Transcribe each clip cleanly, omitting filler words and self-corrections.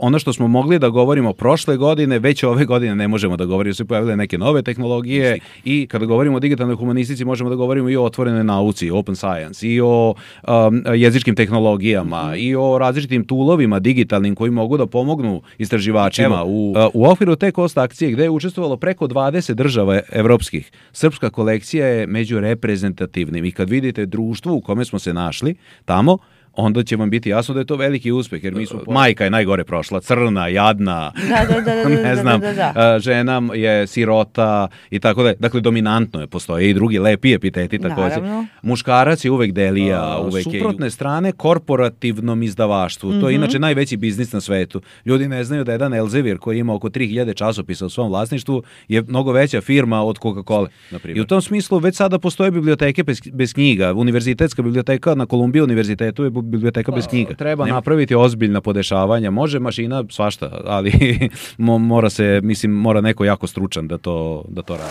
ono što smo mogli da govorimo prošle godine, već ove godine ne možemo da govorimo, su pojavile neke nove tehnologije i kada govorimo o digitalnoj humanistici možemo da govorimo i o otvorenoj nauci, open science, i o jezičkim tehnologijama, i o različitim toolovima digitalnim koji mogu da pomognu istraživačima. U okviru te Cost akcije gde je učestvovalo preko 20 država evropskih, srpska kolekcija je među reprezentativnim i kad vidite društvo u kome smo se našli tamo, onda će vam biti jasno da je to veliki uspeh, jer mi smo... Majka je najgore prošla, crna, jadna, ne znam, žena je sirota i tako da. Dakle, dominantno je, postoje i drugi lepi epiteti takođe. Muškarac je uvek delija, uvek je... Suprotne strane, korporativnom izdavaštvu. To je inače najveći biznis na svetu. Ljudi ne znaju da jedan Elsevier koji ima oko 3000 časopisa u svom vlasništvu je mnogo veća firma od Coca-Cola. I u tom smislu već sada postoje biblioteke bez knjiga. Univerzitetska biblioteka na Kolumbiji univerzitetu je biblioteka bez knjiga. Treba napraviti ozbiljna podešavanja. Može mašina svašta, ali mora neko jako stručan da to radi.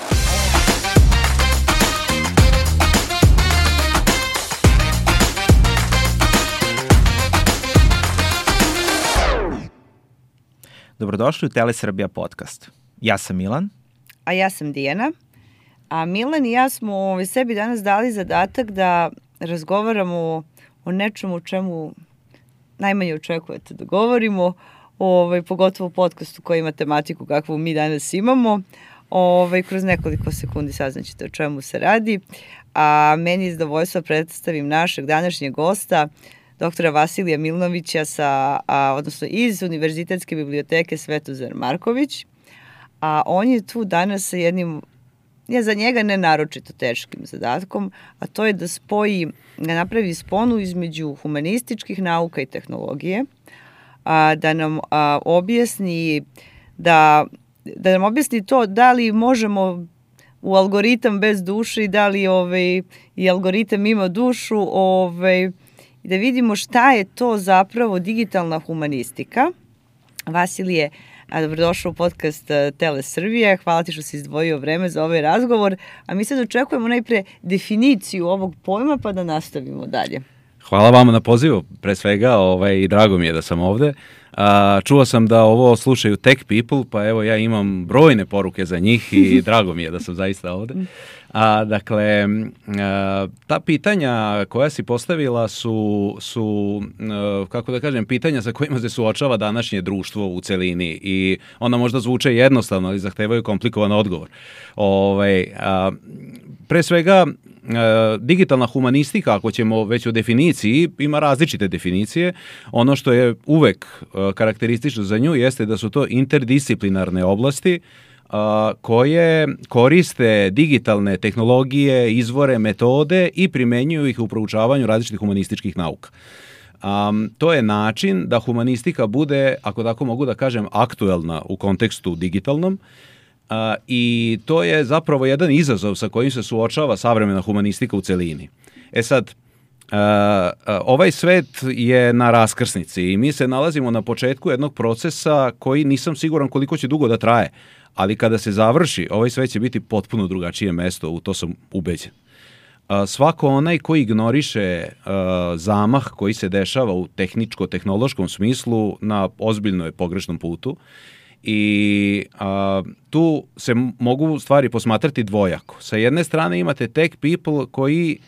Dobrodošli u Telesrbija podcast. Ja sam Milan. A ja sam Dijana. A Milan i ja smo sebi danas dali zadatak da razgovaramo o nečemu o čemu najmanje očekujete da govorimo, pogotovo u podcastu koji ima tematiku kakvu mi danas imamo. Kroz nekoliko sekundi saznaćete o čemu se radi. A meni je zadovoljstvo predstavim našeg današnjeg gosta, doktora Vasilija Milnovića odnosno iz Univerzitetske biblioteke Svetozar Marković. A on je tu danas sa jednim za njega ne naročito teškim zadatkom, a to je da napravi sponu između humanističkih nauka i tehnologije, da nam objasni to da li možemo u algoritam bez duše i da li i algoritam ima dušu, i da vidimo šta je to zapravo digitalna humanistika. Vasilije, dobrodošao u podcast Telesrbije. Hvala ti što si izdvojio vreme za ovaj razgovor. A mi sad očekujemo najpre definiciju ovog pojma pa da nastavimo dalje. Hvala vama na pozivu, pre svega, i drago mi je da sam ovde. Čuo sam da ovo slušaju tech people, pa evo ja imam brojne poruke za njih i drago mi je da sam zaista ovde. Dakle, ta pitanja koja si postavila su kako da kažem, pitanja sa kojima se suočava današnje društvo u celini i ona možda zvuče jednostavno, ali zahtevaju komplikovan odgovor. Pre svega, digitalna humanistika, ako ćemo već o definiciji, ima različite definicije. Ono što je uvek karakteristično za nju jeste da su to interdisciplinarne oblasti koje koriste digitalne tehnologije, izvore, metode i primenjuju ih u proučavanju različitih humanističkih nauka. To je način da humanistika bude, ako tako mogu da kažem, aktuelna u kontekstu digitalnom, i to je zapravo jedan izazov sa kojim se suočava savremena humanistika u celini. Sad, ovaj svet je na raskrsnici i mi se nalazimo na početku jednog procesa koji nisam siguran koliko će dugo da traje, ali kada se završi, ovaj svet će biti potpuno drugačije mesto, u to sam ubeđen. Svako onaj koji ignoriše zamah koji se dešava u tehničko-tehnološkom smislu na ozbiljno je pogrešnom putu. I tu se mogu stvari posmatrati dvojako. Sa jedne strane imate tech people koji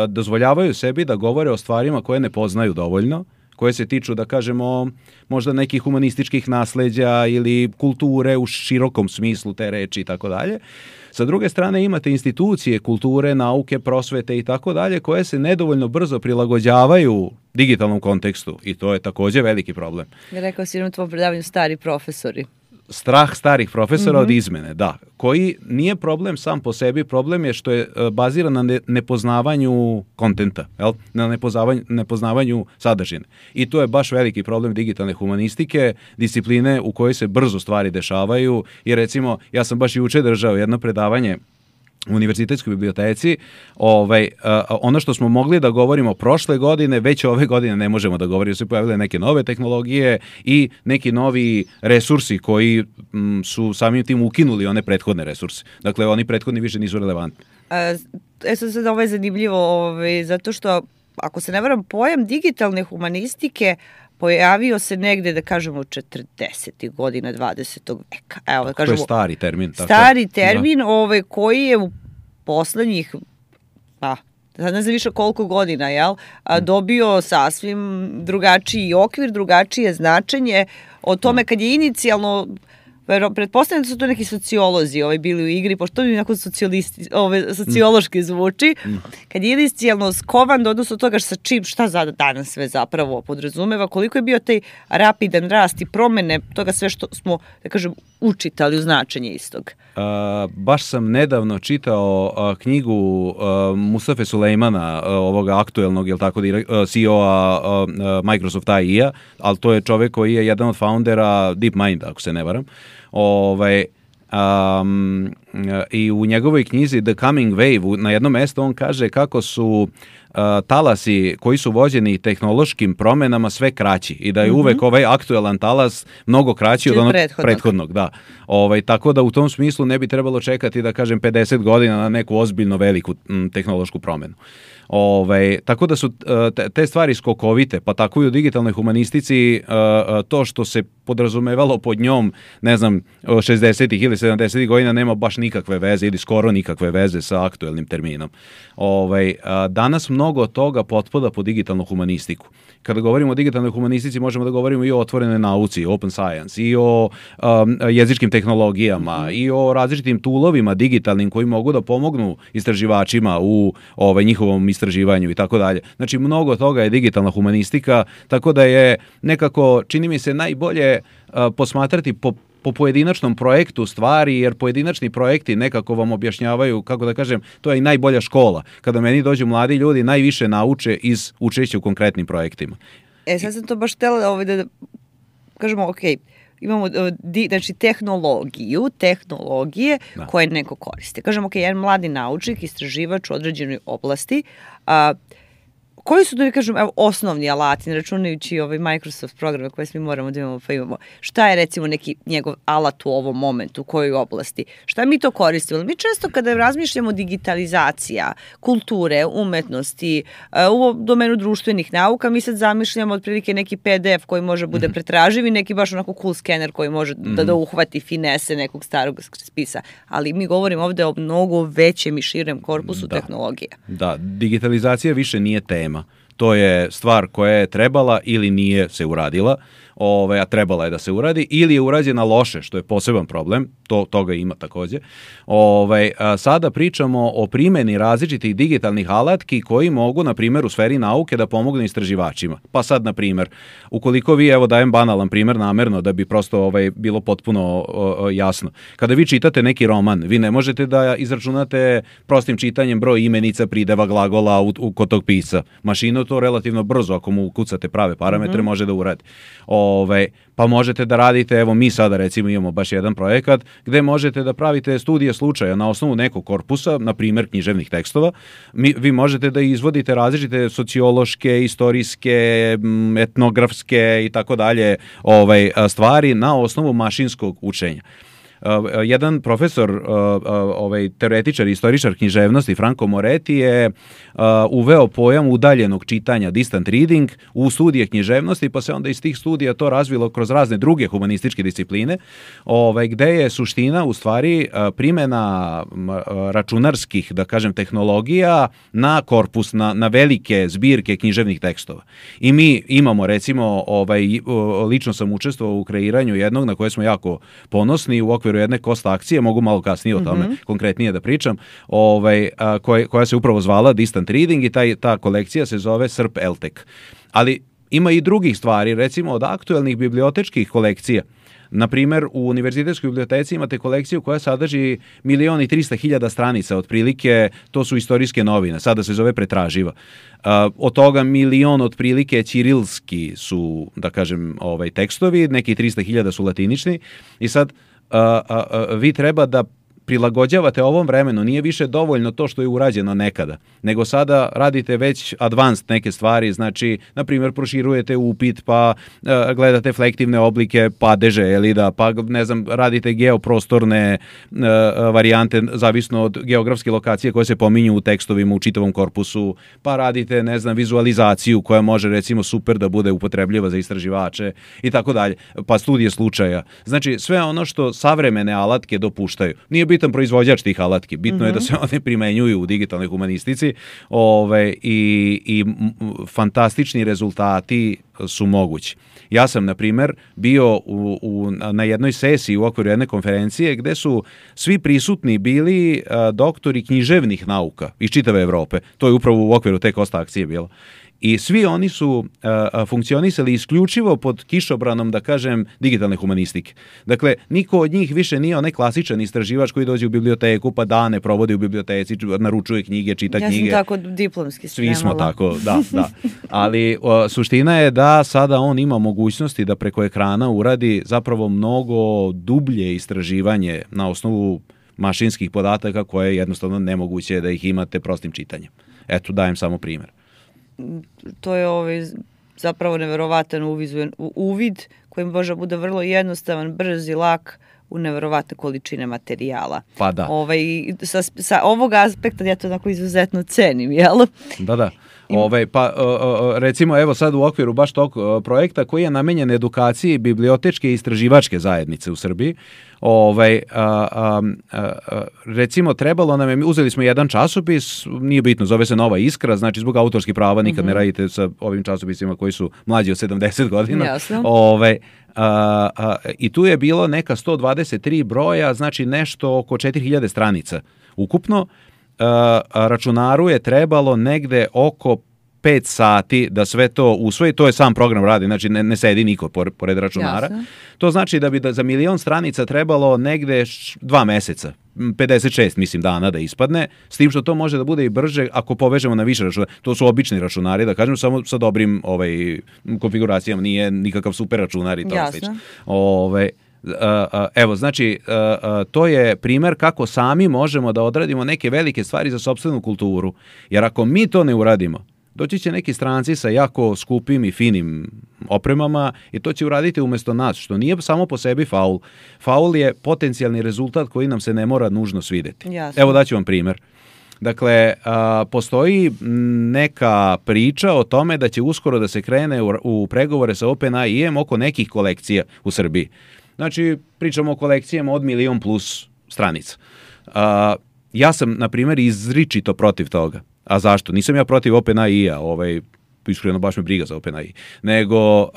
dozvoljavaju sebi da govore o stvarima koje ne poznaju dovoljno, koje se tiču, da kažemo, možda nekih humanističkih nasleđa ili kulture u širokom smislu te reči i tako dalje. Sa druge strane imate institucije kulture, nauke, prosvete i tako dalje koje se nedovoljno brzo prilagođavaju digitalnom kontekstu i to je takođe veliki problem. Rekao si u tvom predavanju stari profesori. Strah starih profesora od izmene, da. Koji nije problem sam po sebi, problem je što je baziran na nepoznavanju kontenta, na nepoznavanju sadržine. I to je baš veliki problem digitalne humanistike, discipline u kojoj se brzo stvari dešavaju. I recimo, ja sam baš juče držao jedno predavanje u Univerzitetskoj biblioteci, ono što smo mogli da govorimo prošle godine, već ove godine ne možemo da govorimo, su pojavile neke nove tehnologije i neki novi resursi koji su samim tim ukinuli one prethodne resurse. Dakle, oni prethodni više nisu relevantni. Sad ovo je zanimljivo, zato što, ako se ne varam, pojam digitalne humanistike pojavio se negde, da kažemo, 40. godina 20. veka. Evo, da kažemo, to je stari termin. Stari termin koji je u poslednjih, sad ne znam više koliko godina, dobio sasvim drugačiji okvir, drugačije značenje o tome kad je inicijalno, pretpostavljam da su to neki sociolozi bili u igri, pošto to bi onako sociološki zvuči, kad je inicijalno skovan do odnosu toga šta danas sve zapravo podrazumeva, koliko je bio taj rapidan rast i promene toga sve što smo, da kažem, učitali u značenje istog. Baš sam nedavno čitao knjigu Mustafe Sulejmana, ovoga aktuelnog, CEO-a Microsoft AI-a, ali to je čovek koji je jedan od foundera DeepMind, ako se ne varam. I u njegovoj knjizi The Coming Wave na jednom mestu on kaže kako su talasi koji su vođeni tehnološkim promenama sve kraći i da je uvek ovaj aktuelan talas mnogo kraći od onog prethodnog. Da. Tako da u tom smislu ne bi trebalo čekati, da kažem, 50 godina na neku ozbiljno veliku tehnološku promenu. Tako da su te stvari skokovite, pa tako i u digitalnoj humanistici to što se podrazumevalo pod njom, ne znam, 60. ili 70. godina nema baš nikakve veze ili skoro nikakve veze sa aktuelnim terminom. Danas mnogo toga potpada po digitalnu humanistiku. Kada govorimo o digitalnoj humanistici možemo da govorimo i o otvorenoj nauci, open science, i o jezičkim tehnologijama, i o različitim toolovima digitalnim koji mogu da pomognu istraživačima u njihovom istraživanju i tako dalje. Znači, mnogo toga je digitalna humanistika, tako da je nekako, čini mi se, najbolje posmatrati po pojedinačnom projektu stvari, jer pojedinačni projekti nekako vam objašnjavaju, kako da kažem, to je i najbolja škola. Kada meni dođu mladi ljudi, najviše nauče iz učešća u konkretnim projektima. Sad sam to baš htjela da kažemo, imamo znači tehnologije koje neko koriste. Kažemo, jedan mladi naučnik, istraživač u određenoj oblasti, koji su, da kažem, osnovni alati, ne računajući Microsoft programe koje svi moramo da imamo, pa imamo. Šta je, recimo, neki njegov alat u ovom momentu, u kojoj oblasti? Šta mi to koristimo? Mi često kada razmišljamo digitalizacija, kulture, umetnosti, u domenu društvenih nauka, mi sad zamišljamo otprilike neki PDF koji može bude pretraživ i neki baš onako cool skener koji može da uhvati finese nekog starog spisa. Ali mi govorimo ovde o mnogo većem i širem korpusu tehnologija. Da, digitalizacija više nije tema. To je stvar koja je trebala ili nije se uradila, a trebala je da se uradi, ili je urađena loše, što je poseban problem, toga ima takođe. Sada pričamo o primjeni različitih digitalnih alatki koji mogu, na primjer, u sferi nauke da pomognu istraživačima. Pa sad, na primjer, ukoliko vi, dajem banalan primjer namerno da bi prosto bilo potpuno jasno. Kada vi čitate neki roman, vi ne možete da izračunate prostim čitanjem broj imenica, prideva, glagola kod tog pisca. Mašina to relativno brzo, ako mu ukucate prave parametre, može da uradi. Pa možete da radite, evo mi sada recimo imamo baš jedan projekat gde možete da pravite studije slučaja na osnovu nekog korpusa, na primjer književnih tekstova. Vi možete da izvodite različite sociološke, istorijske, etnografske i tako dalje stvari na osnovu mašinskog učenja. Jedan profesor, teoretičar i istoričar književnosti, Franco Moretti, je uveo pojam udaljenog čitanja, distant reading, u studije književnosti, pa se onda iz tih studija to razvilo kroz razne druge humanističke discipline, gde je suština u stvari primjena računarskih, da kažem, tehnologija na korpus, na velike zbirke književnih tekstova. I mi imamo, recimo, lično sam učestvovao u kreiranju jednog na koje smo jako ponosni u okviru jedne kost akcije, mogu malo kasnije o tome konkretnije da pričam, koja se upravo zvala Distant Reading i ta kolekcija se zove SRP LTEC. Ali ima i drugih stvari, recimo od aktuelnih bibliotečkih kolekcija. Na primjer, u Univerzitetskoj biblioteci imate kolekciju koja sadrži 1.300.000 stranica, otprilike, to su istorijske novine, sada se zove pretraživa. Od toga 1.000.000 otprilike ćirilski su, da kažem, tekstovi, neki 300.000 su latinični i sad vi treba da prilagođavate ovom vremenu, nije više dovoljno to što je urađeno nekada, nego sada radite već advanced neke stvari, znači, na primjer, proširujete upit, pa gledate flektivne oblike padeže, pa ne znam, radite geoprostorne varijante, zavisno od geografske lokacije koje se pominju u tekstovima u čitavom korpusu, pa radite, ne znam, vizualizaciju koja može, recimo, super da bude upotrebljiva za istraživače i tako dalje, pa studije slučaja. Znači, sve ono što savremene alatke dopuštaju. Nije bitan proizvođač tih alatki, bitno je da se one primenjuju u digitalnoj humanistici i fantastični rezultati su mogući. Ja sam, na primjer, bio na jednoj sesiji u okviru jedne konferencije gde su svi prisutni bili doktori književnih nauka iz čitave Evrope. To je upravo u okviru te Kosta akcije bilo. I svi oni su funkcionisali isključivo pod kišobranom, da kažem, digitalne humanistike. Dakle, niko od njih više nije onaj klasičan istraživač koji dođe u biblioteku, pa dane provodi u biblioteci, naručuje knjige, čita knjige. Ja sam tako diplomski spremala. Svi smo tako, da. Ali suština je da sada on ima mogućnosti da preko ekrana uradi zapravo mnogo dublje istraživanje na osnovu mašinskih podataka koje je jednostavno nemoguće da ih imate prostim čitanjem. Eto, dajem samo primjer. To je zapravo neverovatan uvid koji može bude vrlo jednostavan, brz i lak u neverovatne količine materijala. Pa da. Sa ovog aspekta ja to onako izuzetno cenim, jel? Da. Recimo, evo sad u okviru baš tog projekta koji je namenjen edukaciji bibliotečke i istraživačke zajednice u Srbiji, recimo trebalo nam je, uzeli smo jedan časopis, nije bitno, zove se Nova Iskra, znači zbog autorskih prava nikad ne radite sa ovim časopisima koji su mlađi od 70 godina. Jasno. I tu je bilo neka 123 broja, znači nešto oko 4000 stranica ukupno. Računaru je trebalo negde oko 5 sati da sve to usvoji, to je sam program radi, znači ne sedi niko pored računara. Jasne. To znači da bi za 1.000.000 stranica trebalo negde 2 meseca, 56 mislim dana da ispadne, s tim što to može da bude i brže ako povežemo na više računara. To su obični računari, da kažem, samo sa dobrim konfiguracijama, nije nikakav super računar i to slično. Evo, znači, to je primjer kako sami možemo da odradimo neke velike stvari za sopstvenu kulturu, jer ako mi to ne uradimo, doći će neki stranci sa jako skupim i finim opremama i to će uraditi umjesto nas, što nije samo po sebi faul. Faul je potencijalni rezultat koji nam se ne mora nužno svideti. Jasno. Evo daću vam primjer. Dakle, postoji neka priča o tome da će uskoro da se krene u pregovore sa OpenAI-em oko nekih kolekcija u Srbiji. Znači, pričamo o kolekcijama od 1.000.000 plus stranica. Ja sam, na primjer, izričito protiv toga. A zašto? Nisam ja protiv OpenAI-a, iskreno baš me briga za OpenAI, nego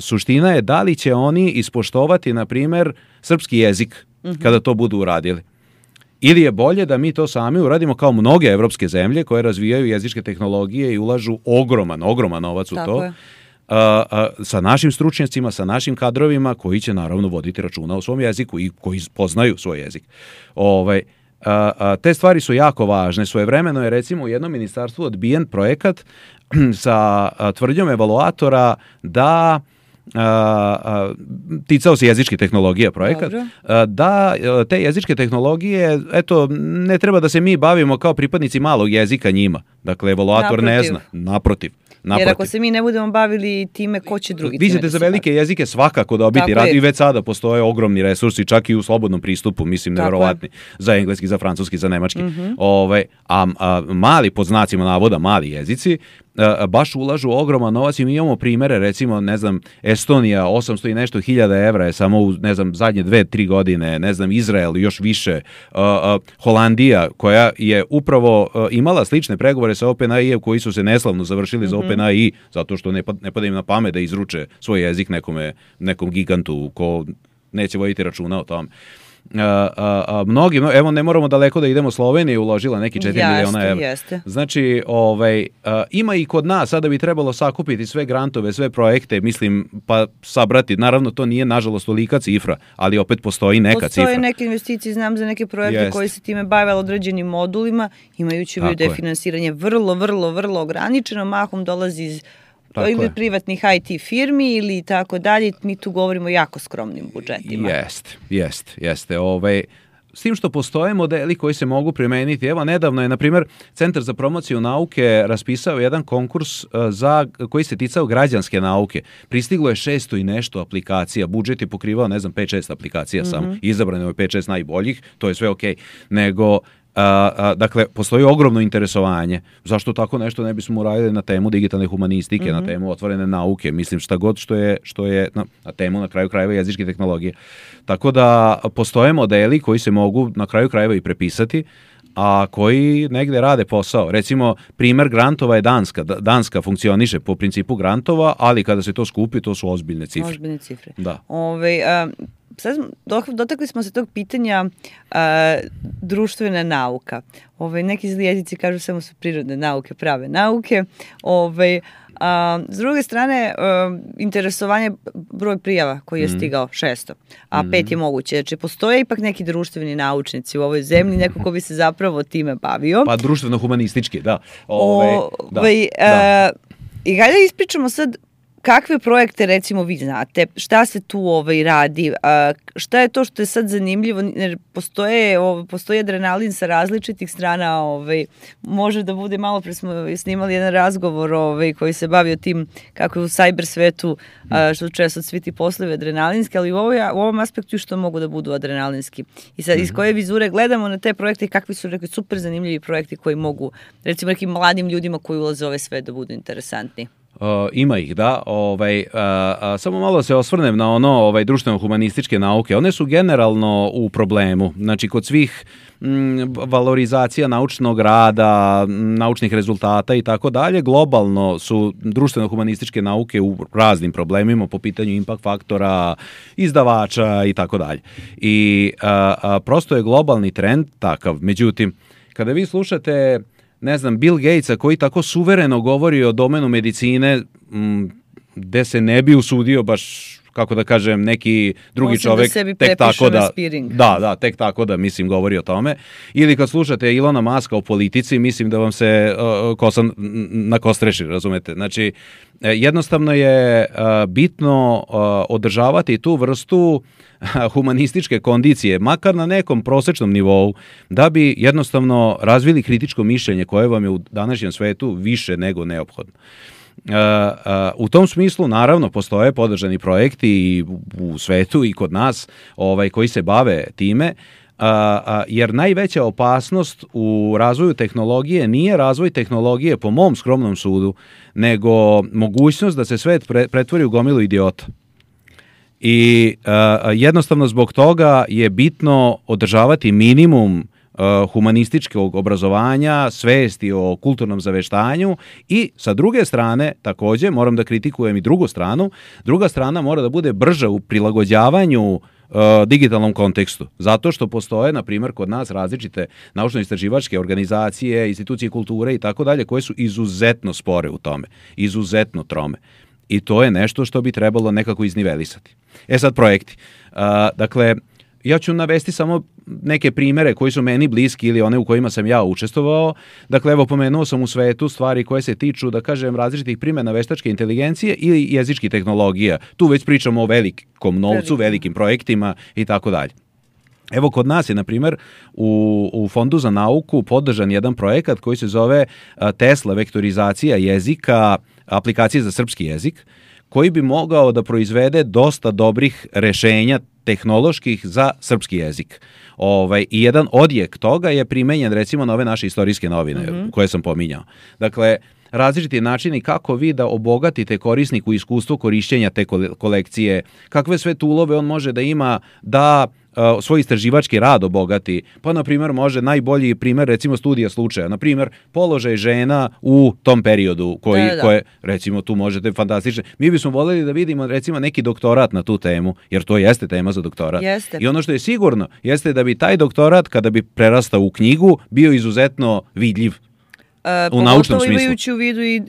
suština je da li će oni ispoštovati, na primjer, srpski jezik kada to budu uradili. Ili je bolje da mi to sami uradimo kao mnoge evropske zemlje koje razvijaju jezičke tehnologije i ulažu ogroman novac u to. Sa našim stručnjacima, sa našim kadrovima koji će naravno voditi računa o svom jeziku i koji poznaju svoj jezik. Te stvari su jako važne. Svojevremeno je recimo u jednom ministarstvu odbijen projekat sa tvrdnjom evaluatora da ticao se jezičke tehnologije projekat, da te jezičke tehnologije, eto, ne treba da se mi bavimo kao pripadnici malog jezika njima. Dakle, evaluator ne zna. Naprotiv. Jer ako se mi ne budemo bavili time, ko će drugi? Vi ćete za velike jezike svakako dobiti rad i već sada postoje ogromni resursi, čak i u slobodnom pristupu, mislim, nevjerovatni, za engleski, za francuski, za nemački. A mali, pod znacima navoda, mali jezici, baš ulažu ogroman novac i mi imamo primere, recimo, ne znam, Estonija, 800 i nešto hiljada evra je samo u, ne znam, zadnje 2-3 godine, ne znam, Izrael još više, Holandija, koja je upravo imala slične pregovore sa OpenAI koji su se neslavno završili za OpenAI, zato što ne pada im na pamet da izruče svoj jezik nekom gigantu ko neće voditi računa o tome. Mnogi, evo ne moramo daleko da idemo, Slovenija je uložila neki 4 miliona evra. Jeste. Znači, ima i kod nas, sada bi trebalo sakupiti sve grantove, sve projekte, mislim, pa sabrati. Naravno, to nije, nažalost, tolika cifra, ali opet postoji neka cifra. Postoje neke investicije, znam za neke projekte koji se time bave određenim modulima, imajući u vidu da je finansiranje vrlo ograničeno, mahom dolazi iz ili privatnih IT firmi ili tako dalje, mi tu govorimo o jako skromnim budžetima. Jeste. S tim što postoje modeli koji se mogu primeniti. Evo, nedavno je, na primjer, Centar za promociju nauke raspisao jedan konkurs koji se ticao građanske nauke. Pristiglo je 600 i nešto aplikacija. Budžet je pokrivao, 5-6 aplikacija samo. Izabrano je 5-6 najboljih, to je sve okej. Nego, dakle, postoji ogromno interesovanje. Zašto tako nešto ne bismo uradili na temu digitalne humanistike, na temu otvorene nauke, mislim šta god što je na temu na kraju krajeva jezičke tehnologije. Tako da postoje modeli koji se mogu na kraju krajeva i prepisati, a koji negde rade posao. Recimo, primer grantova je Danska. Danska funkcioniše po principu grantova, ali kada se to skupi, to su ozbiljne cifre. Ozbiljne cifre. Da. Sad dotakli smo se tog pitanja društvena nauka. Neki jezici kažu samo su prirodne nauke, prave nauke. S druge strane, interesovanje, broj prijava koji je stigao 600, a 5 je moguće. Znači, postoje ipak neki društveni naučnici u ovoj zemlji, neko ko bi se zapravo time bavio. Pa društveno-humanistički, da. I hajde ispričamo sad kakve projekte, recimo, vi znate, šta se tu radi, šta je to što je sad zanimljivo, jer postoji adrenalin sa različitih strana, može da bude, malo pre smo snimali jedan razgovor koji se bavio tim kako je u cyber svetu, što često svi ti poslovi adrenalinski, ali u ovom aspektu što mogu da budu adrenalinski. I sad, iz koje vizure gledamo na te projekte i kakvi su super zanimljivi projekti koji mogu, recimo, nekim mladim ljudima koji ulaze u ovaj svet da budu interesantni. Ima ih, da. Samo malo se osvrnem na društveno-humanističke nauke. One su generalno u problemu. Znači, kod svih valorizacija naučnog rada, naučnih rezultata i tako dalje, globalno su društveno-humanističke nauke u raznim problemima po pitanju impact faktora, izdavača i tako dalje. I prosto je globalni trend takav. Međutim, kada vi slušate Bill Gatesa koji tako suvereno govori o domenu medicine, gde se ne bi usudio baš, kako da kažem, neki drugi čovek tek tako da govori o tome. Ili kad slušate Ilona Maska o politici, mislim da vam se kosa nakostreši, razumete? Znači, jednostavno je bitno održavati tu vrstu humanističke kondicije, makar na nekom prosečnom nivou, da bi jednostavno razvili kritičko mišljenje koje vam je u današnjem svetu više nego neophodno. U tom smislu, naravno, postoje podržani projekti i u svetu i kod nas koji se bave time, jer najveća opasnost u razvoju tehnologije nije razvoj tehnologije, po mom skromnom sudu, nego mogućnost da se svet pretvori u gomilu idiota. I jednostavno zbog toga je bitno održavati minimum humanističkog obrazovanja, svesti o kulturnom zaveštanju i sa druge strane, također, moram da kritikujem i drugu stranu, druga strana mora da bude brža u prilagođavanju digitalnom kontekstu. Zato što postoje, na primjer, kod nas različite naučno-istraživačke organizacije, institucije kulture i tako dalje, koje su izuzetno spore u tome, izuzetno trome. I to je nešto što bi trebalo nekako iznivelisati. Sad projekti. Dakle, ja ću navesti samo neke primere koji su meni bliski ili one u kojima sam ja učestvovao. Dakle, evo, pomenuo sam u svetu stvari koje se tiču, da kažem, različitih primjena veštačke inteligencije ili jezičkih tehnologija. Tu već pričamo o velikom novcu, velikim projektima i tako dalje. Evo, kod nas je, na primjer, u Fondu za nauku podržan jedan projekat koji se zove Tesla vektorizacija jezika, aplikacije za srpski jezik, koji bi mogao da proizvede dosta dobrih rešenja tehnoloških za srpski jezik. I jedan odjek toga je primenjen, recimo, na ove naše istorijske novine koje sam pominjao. Dakle, različiti načini kako vi da obogatite korisniku iskustvo korišćenja te kolekcije, kakve sve tulove on može da ima da svoj istraživački rad obogati. Pa, na primjer, može najbolji primjer, recimo, studija slučaja. Na primjer, položaj žena u tom periodu koje, recimo, tu možete fantastično. Mi bismo voljeli da vidimo, recimo, neki doktorat na tu temu, jer to jeste tema za doktorat. Jeste. I ono što je sigurno, jeste da bi taj doktorat, kada bi prerastao u knjigu, bio izuzetno vidljiv. U naučnom smislu. Imajući u vidu i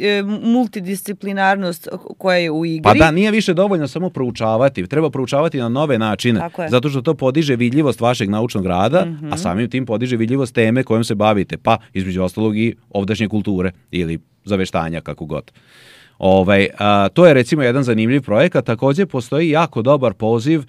multidisciplinarnost koja je u igri. Pa da, nije više dovoljno samo proučavati, treba proučavati na nove načine, zato što to podiže vidljivost vašeg naučnog rada, a samim tim podiže vidljivost teme kojom se bavite, pa između ostalog i ovdašnje kulture ili zaveštanja, kako god. To je recimo jedan zanimljiv projekat. Također postoji jako dobar poziv,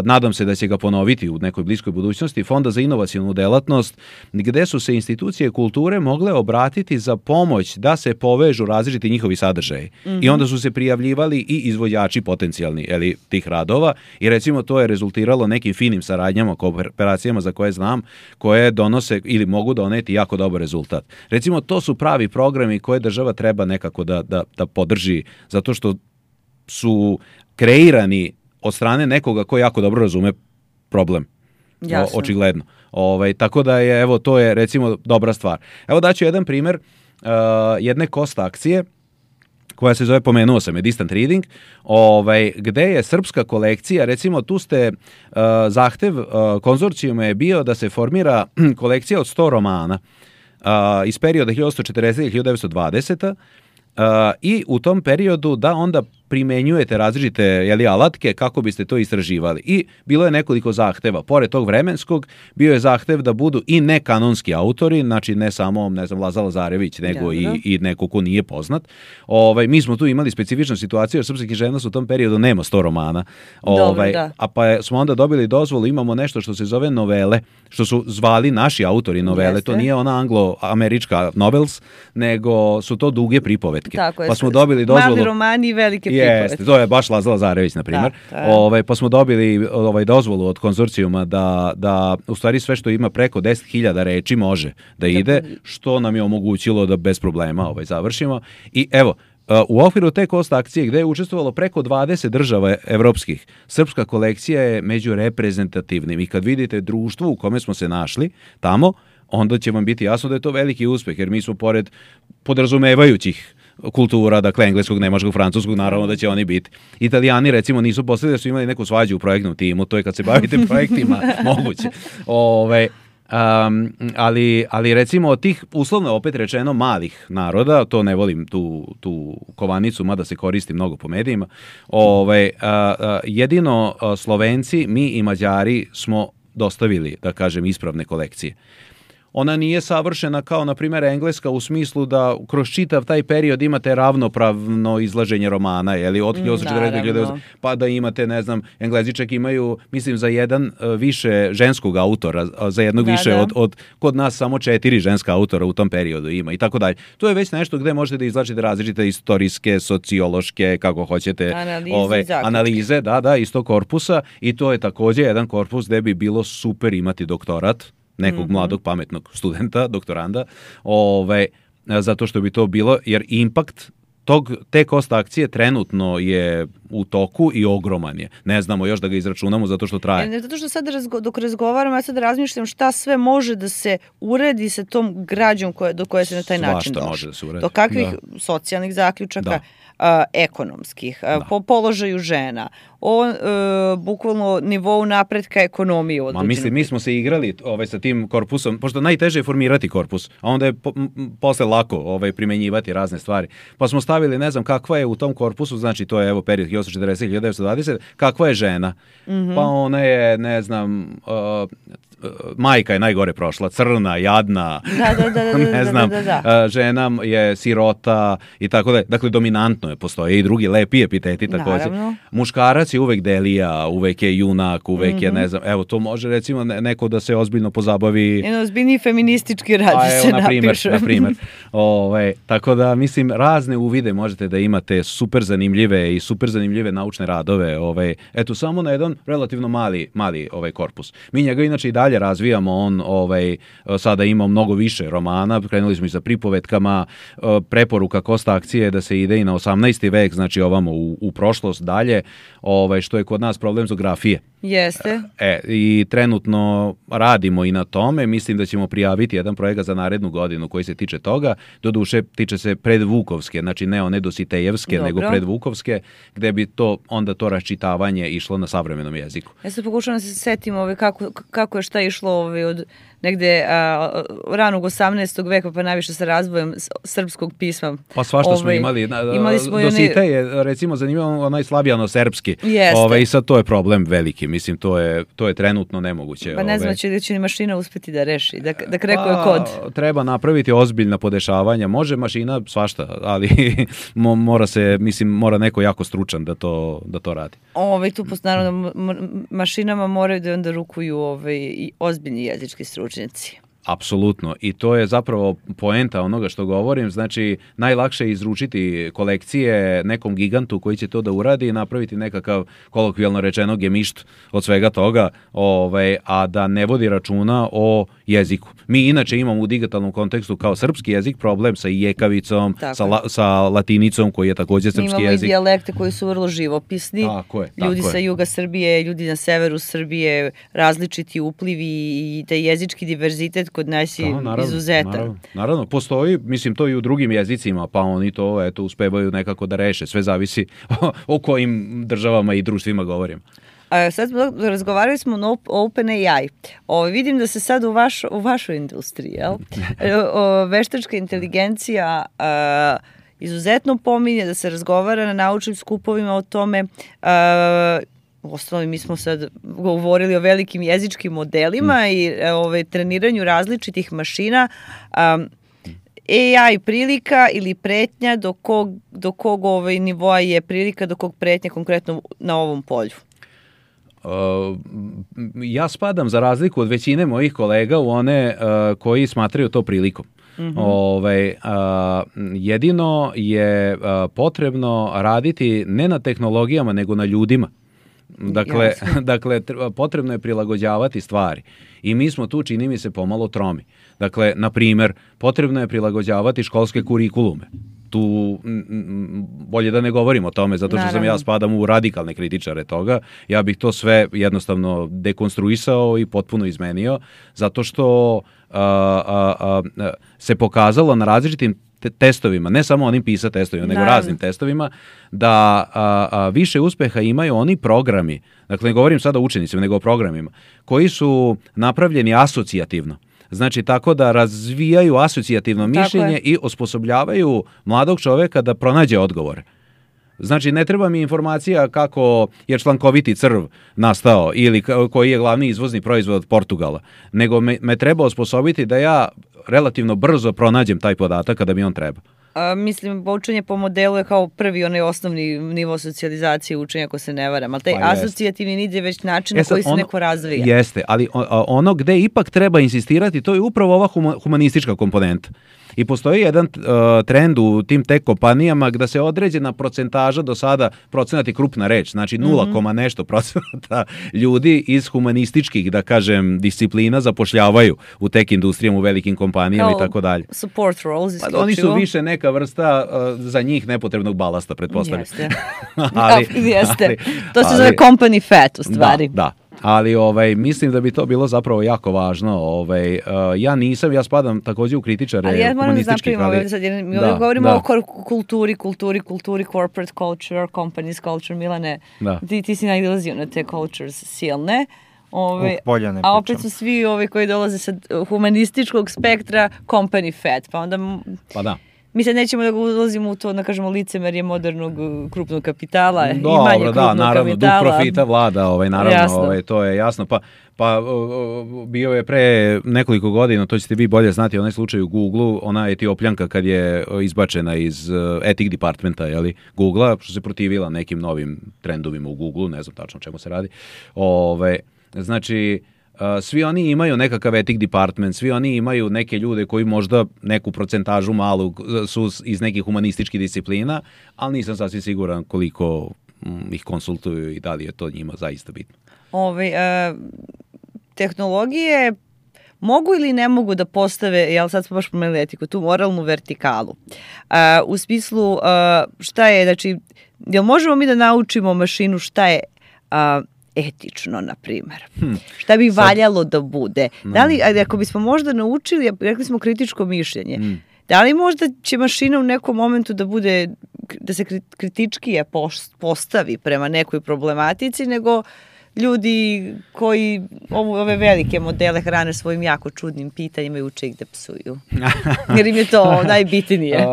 nadam se da će ga ponoviti u nekoj bliskoj budućnosti, Fonda za inovacionu delatnost, gde su se institucije kulture mogle obratiti za pomoć da se povežu različiti njihovi sadržaji. I onda su se prijavljivali i izvođači potencijalni tih radova i recimo to je rezultiralo nekim finim saradnjama, kooperacijama za koje znam, koje donose ili mogu doneti jako dobar rezultat. Recimo to su pravi programi koje država treba nekako da podrži, zato što su kreirani od strane nekoga ko jako dobro razume problem. Jasno. Očigledno. Tako da je, evo, to je recimo dobra stvar. Evo daću jedan primjer jedne cost akcije koja se zove, pomenuo sam je, Distant Reading, gde je srpska kolekcija, recimo tu ste, zahtev konzorcijuma je bio da se formira kolekcija od 100 romana iz perioda 1840-1920 i u tom periodu da onda primenjujete različite alatke kako biste to istraživali. I bilo je nekoliko zahteva. Pored tog vremenskog, bio je zahtev da budu i nekanonski autori, znači ne samo, ne znam, Laza Lazarević, nego i neko ko nije poznat. Mi smo tu imali specifičnu situaciju, jer srpska književnost u tom periodu nema 100 romana. A pa smo onda dobili dozvolu, imamo nešto što se zove novele, što su zvali naši autori novele. Jeste. To nije ona anglo-američka novels, nego su to duge pripovetke. Tako je. Pa smo dobili dozvolu... Mali romani i velike. Jeste, to je baš Laza Lazarević, na primjer. Pa smo dobili dozvolu od konzorcijuma da u stvari sve što ima preko 10.000 reči može da ide, što nam je omogućilo da bez problema završimo. I evo, u okviru te cost akcije gde je učestvovalo preko 20 država evropskih, srpska kolekcija je među reprezentativnim i kad vidite društvo u kome smo se našli tamo, onda će vam biti jasno da je to veliki uspeh, jer mi smo pored podrazumevajućih kultura, dakle engleskog, nemačkog, francuskog, naravno da će oni biti. Italijani recimo nisu poslali da su imali neku svađu u projektnom timu, to je kad se bavite projektima moguće. Ali recimo od tih, uslovno opet rečeno, malih naroda, to ne volim tu kovanicu, mada se koristi mnogo po medijima, jedino Slovenci, mi i Mađari smo dostavili, da kažem, ispravne kolekcije. Ona nije savršena kao, na primjer, engleska u smislu da kroz čitav taj period imate ravnopravno izlaženje romana, od 1840 pa da imate, ne znam, Englezi čak imaju, mislim, za jedan više ženskog autora, za jednog više od kod nas samo 4 ženska autora u tom periodu ima i tako dalje. To je već nešto gde možete da izlačite različite istorijske, sociološke, kako hoćete, analize, iz tog korpusa, i to je također jedan korpus gde bi bilo super imati doktorat nekog mladog, pametnog studenta, doktoranda, zato što bi to bilo, jer impakt te cost akcije trenutno je u toku i ogroman je. Ne znamo još da ga izračunamo zato što traje. Zato što sad dok razgovaramo, ja sad razmišljam šta sve može da se uredi sa tom građom do koje se na taj način došlo. Može da se uredi. Do kakvih socijalnih zaključaka, ekonomskih, po položaju žena, o bukvalno nivou napretka ekonomije. Mi smo se igrali sa tim korpusom, pošto najteže je formirati korpus, a onda je posle lako primenjivati razne stvari. Pa smo stavili, ne znam, kakva je u tom korpusu, znači to je evo period 1840-1920, kakva je žena. Pa ona je, ne znam, majka je najgore prošla, crna, jadna, ne znam, žena je sirota i tako da. Dakle, dominantno je, postoje i drugi lepi epiteti također. Muškarac je uvek delija, uvek je junak, uvek je, ne znam, evo, to može recimo neko da se ozbiljno pozabavi. Jedan ozbiljni feministički rad se napiše. Na primjer. Tako da, mislim, razne uvide možete da imate super zanimljive naučne radove. Eto, samo na jedan relativno mali korpus. Mi njega inače i dalje razvijamo, on sada ima mnogo više romana, krenuli smo i sa pripovetkama, preporuka cost akcije da se ide i na 18. vek, znači ovamo u prošlost dalje, što je kod nas problem zografije. Jeste. I trenutno radimo i na tome, mislim da ćemo prijaviti jedan projekat za narednu godinu koji se tiče toga, doduše tiče se predvukovske, znači ne one dositejevske, nego predvukovske, gde bi onda to raščitavanje išlo na savremenom jeziku. Ja se pokušavam da se setim kako je šta išlo od negde ranog 18. veka pa najviše sa razvojem srpskog pisma. Pa svašta smo imali. Dositeje, recimo, zanimljivo onaj slavijano-srpski. I sad to je problem veliki. mislim to je trenutno nemoguće. Pa ne znam da će mašina uspeti da reši, da krekuje kod. Treba napraviti ozbiljna podešavanja, može mašina svašta, ali mora neko jako stručan da to radi. Tu naravno mašinama moraju da onda rukuju i ozbiljni jezički stručnjaci. Apsolutno. I to je zapravo poenta onoga što govorim. Znači, najlakše je izručiti kolekcije nekom gigantu koji će to da uradi i napraviti nekakav, kolokvijalno rečeno, gemišt od svega toga, a da ne vodi računa o jeziku. Mi inače imamo u digitalnom kontekstu kao srpski jezik problem sa jekavicom, sa latinicom koji je također srpski jezik. Imamo i dijalekte koji su vrlo živopisni. Tako je. Ljudi sa juga Srbije, ljudi na severu Srbije, različiti uplivi i taj jezički diverzitet kod nas je izuzetan. Naravno, postoji, mislim, to i u drugim jezicima, pa oni to uspevaju nekako da reše. Sve zavisi o kojim državama i društvima govorim. Sad razgovarali smo o OpenAI. Vidim da se sad u vašoj industriji, jel? Veštačka inteligencija izuzetno pominje, da se razgovara na naučnim skupovima o tome. U osnovi mi smo sad govorili o velikim jezičkim modelima i treniranju različitih mašina. AI prilika ili pretnja, do kog nivoa je prilika, do kog pretnja konkretno na ovom polju? Ja spadam, za razliku od većine mojih kolega, u one koji smatraju to prilikom. Jedino je potrebno raditi ne na tehnologijama, nego na ljudima. Dakle, potrebno je prilagođavati stvari. I mi smo tu, čini mi se, pomalo tromi. Dakle, na primjer, potrebno je prilagođavati školske kurikulume. Tu bolje da ne govorim o tome, zato što ja spadam u radikalne kritičare toga. Ja bih to sve jednostavno dekonstruisao i potpuno izmenio, zato što se pokazalo na različitim testovima, ne samo onim PISA testovima, nego raznim testovima, da više uspeha imaju oni programi, dakle ne govorim sada o učenicima, nego o programima, koji su napravljeni asocijativno. Znači, tako da razvijaju asocijativno mišljenje i osposobljavaju mladog čoveka da pronađe odgovore. Znači, ne treba mi informacija kako je člankoviti crv nastao ili koji je glavni izvozni proizvod od Portugala, nego me treba osposobiti da ja relativno brzo pronađem taj podatak kada mi on treba. Mislim, učenje po modelu je kao prvi onaj osnovni nivo socijalizacije učenja, ako se ne varam, ali taj asocijativni nit je već način na koji se neko razvija. Jeste, ali ono gde ipak treba insistirati, to je upravo ova humanistička komponenta. I postoji jedan trend u tim tech kompanijama gde se određena procentaža, do sada procenat je krupna reč, znači 0, nešto procenata ljudi iz humanističkih, da kažem, disciplina zapošljavaju u tech industrijama, u velikim kompanijama i tako dalje. Support roles isključivo. Oni su više neka vrsta za njih nepotrebnog balasta, pretpostavljam. Jeste. To se zove company fat u stvari. Da. Ali mislim da bi to bilo zapravo jako važno. Ja spadam također u kritičare humanističkih. Ali ja moram da mi ovdje govorimo o kulturi, corporate culture, companies culture, Milane. Ti si nailazio na te cultures silne. A opet su svi koji dolaze sa humanističkog spektra company fat. Pa da. Mi sad nećemo da ulazimo u to, da kažemo, licemerje modernog krupnog kapitala. Dobro, naravno, duh profita vlada, naravno, to je jasno. Pa bio je pre nekoliko godina, to ćete vi bolje znati, onaj slučaj u Google-u, ona Etiopljanka kad je izbačena iz ethic departmenta, Google-a, što se protivila nekim novim trendovima u Google-u, ne znam tačno o čemu se radi. Znači, svi oni imaju nekakav ethic department, svi oni imaju neke ljude koji možda neku procentažu malu su iz nekih humanističkih disciplina, ali nisam sasvim siguran koliko ih konsultuju i da li je to njima zaista bitno. Tehnologije mogu ili ne mogu da postave, sad smo baš pomenuli etiku, tu moralnu vertikalu. U smislu šta je, znači, jel možemo mi da naučimo mašinu šta je etično, na primjer. Šta bi valjalo da bude? Da li, ako bismo možda naučili, rekli smo kritičko mišljenje, da li možda će mašina u nekom momentu da se kritičkije postavi prema nekoj problematici, nego ljudi koji ove velike modele hrane svojim jako čudnim pitanjima i uče ih da psuju. Jer im je to najbitnije.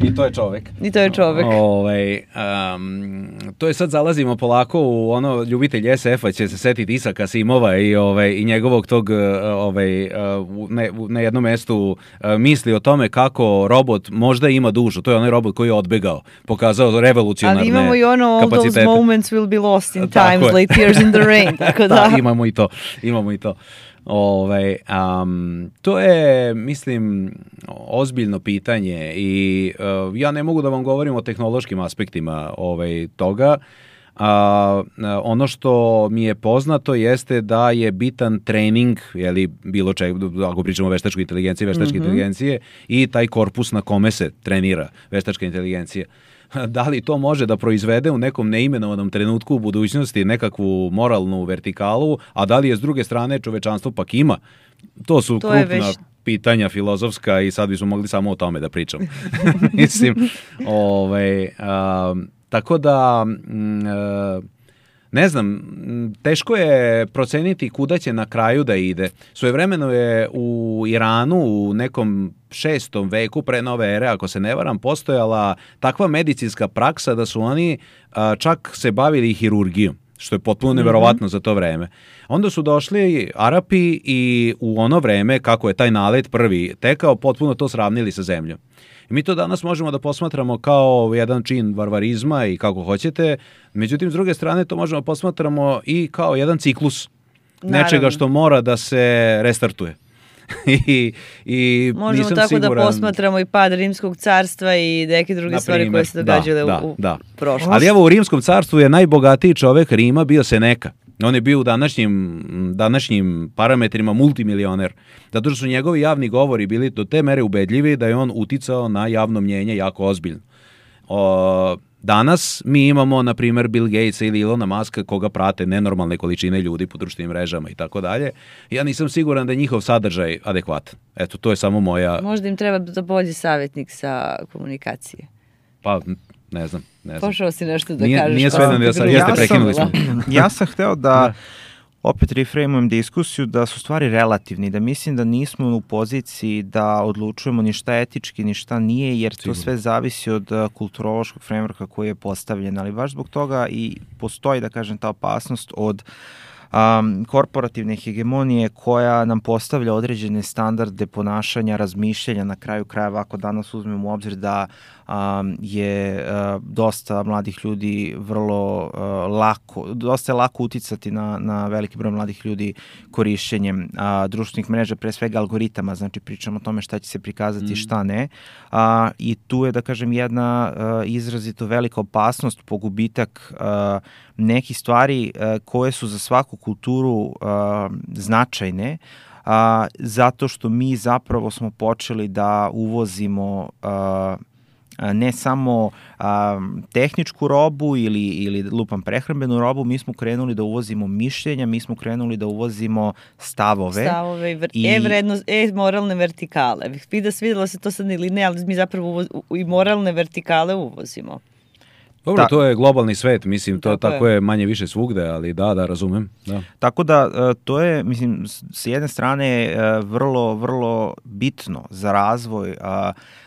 I to je čovek. I to je čovek. To je sad zalazimo polako u ono, ljubitelj SF-a će se setiti Isaka Asimova i njegovog tog na jednom mestu misli o tome kako robot možda ima dušu. To je onaj robot koji je odbegao, pokazao revolucionarne kapacitete. Ali imamo i ono all those moments will be lost in times like tears in the rain. Tako da, imamo i to. To je, mislim, ozbiljno pitanje i ja ne mogu da vam govorim o tehnološkim aspektima toga. Ono što mi je poznato jeste da je bitan trening, bilo čega, ako pričamo o veštačkoj inteligenciji, inteligencije i taj korpus na kome se trenira veštačka inteligencija. Da li to može da proizvede u nekom neimenovanom trenutku u budućnosti nekakvu moralnu vertikalu, a da li je s druge strane čovečanstvo pak ima? To su krupna pitanja filozofska i sad bismo mogli samo o tome da pričamo. Mislim, tako da, ne znam, teško je proceniti kuda će na kraju da ide. Svojevremeno je u Iranu u nekom 6. veku pre nove ere, ako se ne varam, postojala takva medicinska praksa da su oni čak se bavili hirurgijom, što je potpuno neverovatno za to vreme. Onda su došli Arapi i u ono vreme, kako je taj nalet prvi tekao, potpuno to sravnili sa zemljom. I mi to danas možemo da posmatramo kao jedan čin varvarizma i kako hoćete, međutim, s druge strane, to možemo posmatramo i kao jedan ciklus nečega što mora da se restartuje. I možemo nisam tako siguran... da posmatramo i pad Rimskog carstva i neke druge stvari koje se događale u prošlosti. Ali evo, u Rimskom carstvu je najbogatiji čovek Rima bio Seneca. On je bio u današnjim parametrima multimilioner. Zato što su njegovi javni govori bili do te mere ubedljivi da je on uticao na javno mnjenje jako ozbiljno. Danas mi imamo, na primjer, Bill Gatesa ili Elona Muska koga prate nenormalne količine ljudi po društvenim mrežama i tako dalje. Ja nisam siguran da je njihov sadržaj adekvatan. Eto, to je samo moja... Možda im treba da bolji savjetnik sa komunikacije. Pa, ne znam. Pošao si nešto da kažeš. Nije sve da jeste, prekinuli smo. Ja sam hteo da opet reframujem diskusiju da su stvari relativni, da mislim da nismo u poziciji da odlučujemo ni šta etički, ni šta nije, jer to sve zavisi od kulturološkog frameworka koji je postavljen, ali baš zbog toga i postoji, da kažem, ta opasnost od korporativne hegemonije koja nam postavlja određene standarde ponašanja, razmišljanja, na kraju krajeva ako danas uzmemo u obzir da je dosta mladih ljudi dosta je lako uticati na veliki broj mladih ljudi korišćenjem društvenih mreža, pre svega algoritama, znači pričamo o tome šta će se prikazati, šta ne. I tu je, da kažem, jedna izrazito velika opasnost po gubitak nekih stvari koje su za svaku kulturu značajne, zato što mi zapravo smo počeli da uvozimo ne samo tehničku robu ili lupam prehrambenu robu, mi smo krenuli da uvozimo mišljenja, mi smo krenuli da uvozimo stavove i moralne vertikale. Vidjelo se to sad ili ne, ali mi zapravo i moralne vertikale uvozimo. Dobro, to je globalni svet, mislim, to tako je manje više svugde, ali da, razumem. Da. Tako da, to je, mislim, s jedne strane vrlo, vrlo bitno za razvoj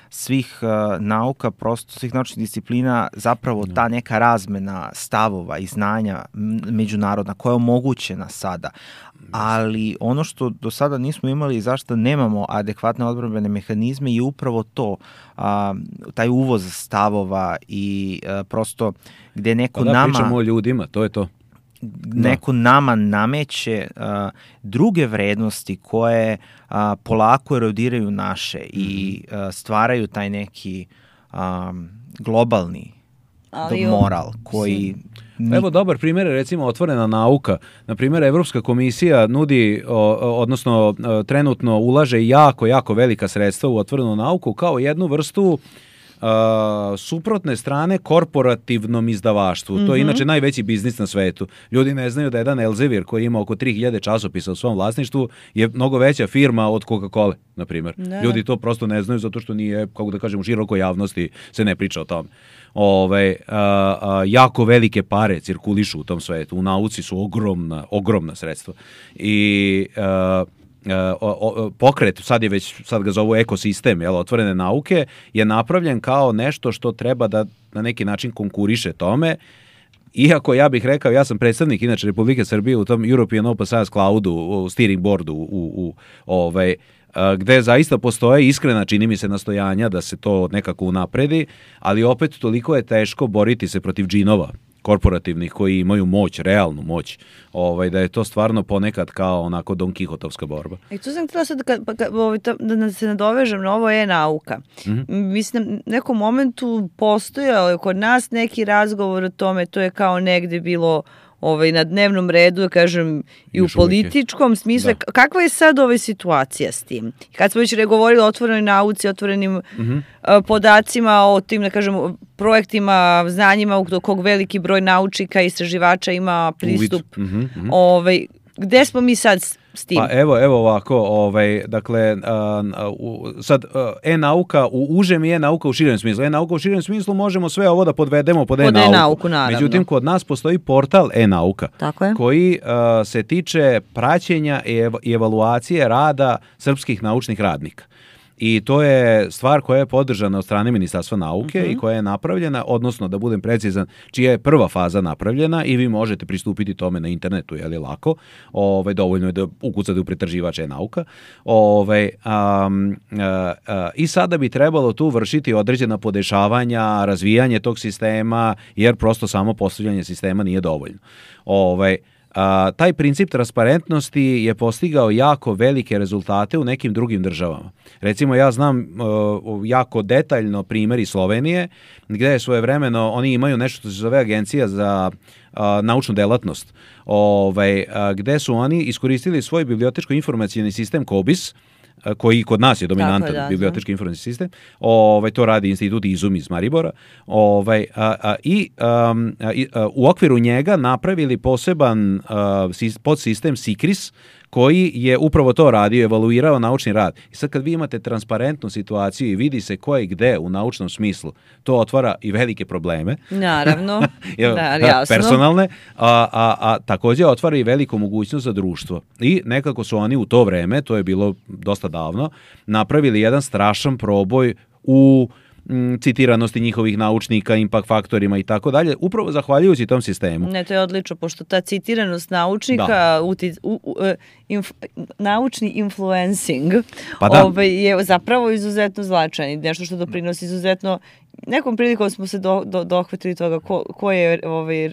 svih nauka, prosto svih naučnih disciplina, zapravo ta neka razmena stavova i znanja međunarodna koja je omogućena sada. Ali ono što do sada nismo imali i zašto nemamo adekvatne odbrambene mehanizme je upravo to, taj uvoz stavova i prosto gde neko nama... pričamo o ljudima, to je to. Neko nama nameće druge vrednosti koje polako erodiraju naše i stvaraju taj neki globalni moral koji... Evo dobar primjer je recimo otvorena nauka. Na primjer, Evropska komisija nudi, odnosno trenutno ulaže jako velika sredstva u otvorenu nauku kao jednu vrstu suprotne strane korporativnom izdavaštvu. To je inače najveći biznis na svetu. Ljudi ne znaju da jedan Elsevier koji ima oko 3000 časopisa u svom vlasništvu je mnogo veća firma od Coca-Cola, na primjer. Ljudi to prosto ne znaju zato što nije, kako da kažem, u širokoj javnosti se ne priča o tome. Jako velike pare cirkulišu u tom svetu. U nauci su ogromna sredstva. I pokret, sad ga zovu ekosistem, otvorene nauke, je napravljen kao nešto što treba da na neki način konkuriše tome. Iako ja bih rekao, ja sam predstavnik inače Republike Srbije u tom European Open Science Cloudu, u steering boardu, gde zaista postoje iskrena, čini mi se, nastojanja da se to nekako unapredi, ali opet toliko je teško boriti se protiv džinova korporativnih koji imaju moć, realnu moć, da je to stvarno ponekad kao onako Don Kihotovska borba. I tu sam htjela sad da se nadovežem na ovo nauka. Mislim, na nekom momentu postojao je kod nas neki razgovor o tome, to je kao negde bilo na dnevnom redu, kažem, i u političkom smislu. Da. Kakva je sad situacija s tim? Kad smo već govorili o otvorenoj nauci, otvorenim podacima, o tim, da kažem, projektima, znanjima u kog veliki broj naučnika i istraživača ima pristup. Gde smo mi sad s tim? Pa evo ovako, dakle, sad e-nauka u užem i e-nauka u širem smislu. E-nauka u širem smislu možemo sve ovo da podvedemo pod e-nauku. Međutim, kod nas postoji portal e-nauka koji se tiče praćenja i evaluacije rada srpskih naučnih radnika. I to je stvar koja je podržana od strane Ministarstva nauke i koja je napravljena, odnosno, da budem precizan, čija je prva faza napravljena i vi možete pristupiti tome na internetu, je li lako, dovoljno je da ukucate u pretraživač e-nauka. I sada bi trebalo tu vršiti određena podešavanja, razvijanje tog sistema, jer prosto samo postavljanje sistema nije dovoljno. Taj princip transparentnosti je postigao jako velike rezultate u nekim drugim državama. Recimo, ja znam jako detaljno primjer iz Slovenije, gdje je svojevremeno, oni imaju nešto što se zove Agencija za naučnu delatnost, gdje su oni iskoristili svoj bibliotečko-informacijni sistem COBIS, koji kod nas je dominantan bibliotečki informacijski sistem. To radi institut Izum iz Maribora. U okviru njega napravili poseban podsistem SICRIS, koji je upravo to radio, evaluirao naučni rad. I sad kad vi imate transparentnu situaciju i vidi se ko je gde u naučnom smislu, to otvara i velike probleme. Naravno, jasno. Personalne, a također otvara i veliku mogućnost za društvo. I nekako su oni u to vreme, to je bilo dosta davno, napravili jedan strašan proboj u citiranosti njihovih naučnika, impact faktorima i tako dalje, upravo zahvaljujući tom sistemu. Ne, to je odlično, pošto ta citiranost naučnika, naučni influencing je zapravo izuzetno značajan, nešto što doprinosi izuzetno. Nekom prilikom smo se dohvatili toga ko je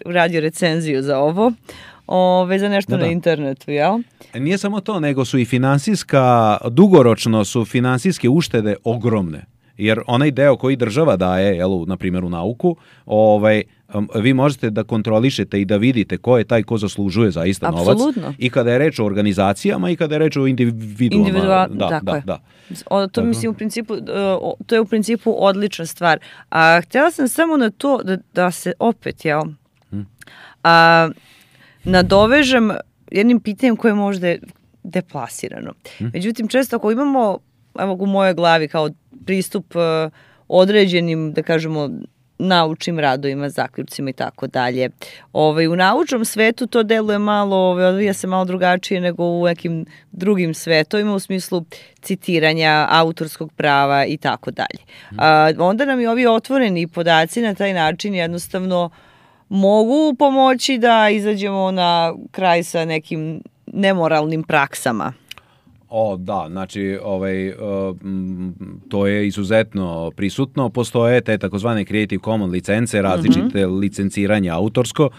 radio recenziju za ovo. Za nešto na internetu, jel? Nije samo to, nego su i dugoročno su finansijske uštede ogromne. Jer onaj deo koji država daje, na primjer u nauku, vi možete da kontrolišete i da vidite ko je taj ko zaslužuje zaista novac. Apsolutno. I kada je reč o organizacijama i kada je reč o individuama. To mislim to je u principu odlična stvar. A htjela sam samo na to da se opet, nadovežem jednim pitanjem koje je možda deplasirano. Međutim, često ako imamo, u mojoj glavi kao pristup određenim, da kažemo, naučnim radovima, zaključcima i tako dalje. U naučnom svetu to deluje malo, odvija se malo drugačije nego u nekim drugim svetovima u smislu citiranja, autorskog prava i tako dalje. Onda nam i ovi otvoreni podaci na taj način jednostavno mogu pomoći da izađemo na kraj sa nekim nemoralnim praksama. Znači, to je izuzetno prisutno. Postoje te takozvane Creative Commons licence, različite licenciranja autorsko,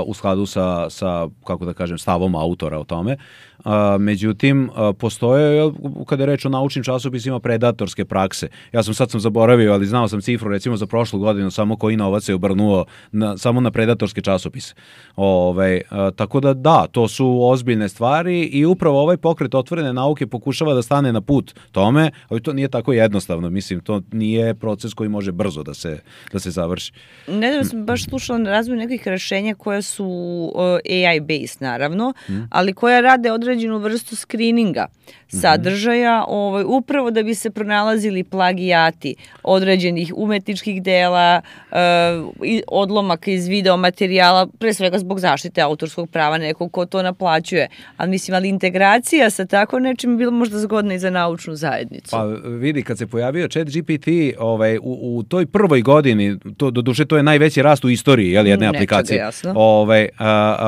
u skladu sa, kako da kažem, stavom autora o tome. Međutim, postoje, kada je reč o naučnim časopisima, predatorske prakse. Ja sam zaboravio, ali znao sam cifru, recimo za prošlu godinu, samo koji novac je obrnuo samo na predatorske časopise. Tako da, to su ozbiljne stvari i upravo ovaj pokret otvorene nauke pokušava da stane na put tome, ali to nije tako jednostavno. Mislim, to nije proces koji može brzo da se završi. Nedavno sam baš slušala na razvoju nekih rešenja koja su AI-based, naravno, ali koja rade određenu vrstu skrininga sadržaja, upravo da bi se pronalazili plagijati određenih umetničkih dela, odlomaka iz video materijala, pre svega zbog zaštite autorskog prava nekog ko to naplaćuje. Ali integracija kombinacija sa tako nečim je bilo možda zgodna i za naučnu zajednicu. Pa vidi, kad se pojavio ChatGPT u toj prvoj godini, doduše to je najveći rast u istoriji jedne aplikacije.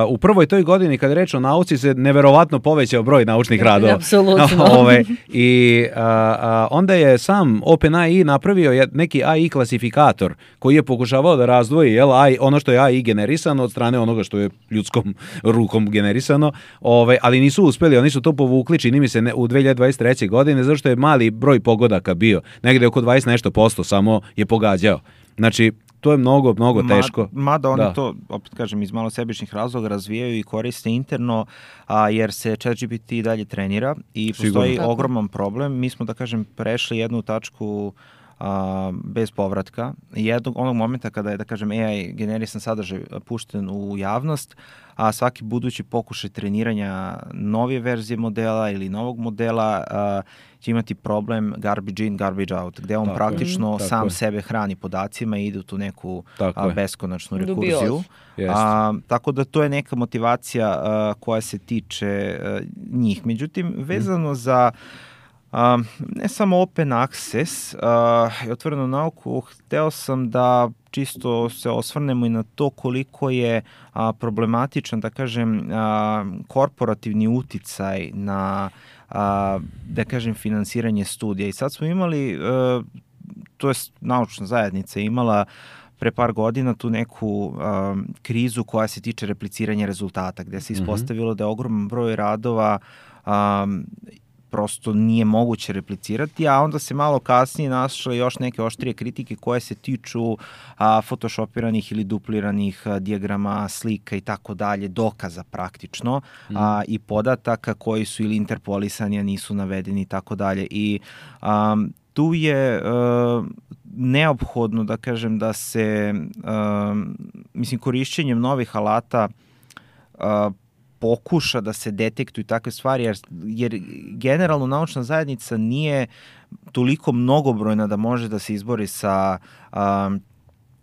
U prvoj toj godini, kad je reč o nauci, se neverovatno povećao broj naučnih radova. Apsolutno. I onda je sam OpenAI napravio neki AI klasifikator koji je pokušavao da razdvoji ono što je AI generisano od strane onoga što je ljudskom rukom generisano, ali nisu uspeli, oni su to povukli, čini mi se, u 2023. godine, zato što je mali broj pogodaka bio, negde oko 20 nešto posto samo je pogađao. Znači, to je mnogo teško. Mada oni to, opet kažem, iz malo sebičnih razloga razvijaju i koriste interno, jer se ChatGPT dalje trenira i postoji ogroman problem. Mi smo, da kažem, prešli jednu tačku bez povratka. Onog momenta kada je, da kažem, AI generisan sadržaj pušten u javnost, a svaki budući pokušaj treniranja nove verzije modela ili novog modela će imati problem garbage in, garbage out, gde on praktično sam sebe hrani podacima i ide u tu neku beskonačnu rekurziju. Tako da to je neka motivacija koja se tiče njih. Međutim, vezano za ne samo open access i otvorenu nauku, hteo sam da čisto se osvrnemo i na to koliko je problematičan, da kažem, korporativni uticaj na, da kažem, finansiranje studija. I sad smo imali, to je naučna zajednica imala pre par godina tu neku krizu koja se tiče repliciranja rezultata, gde se ispostavilo da je ogroman broj radova prosto nije moguće replicirati, a onda se malo kasnije našle još neke oštrije kritike koje se tiču photoshopiranih ili dupliranih dijagrama, slika i tako dalje, dokaza praktično i podataka koji su ili interpolisani, a nisu navedeni i tako dalje. I tu je neophodno, da kažem, da se, korišćenjem novih alata pokuša da se detektuju takve stvari, jer generalno naučna zajednica nije toliko mnogobrojna da može da se izbori sa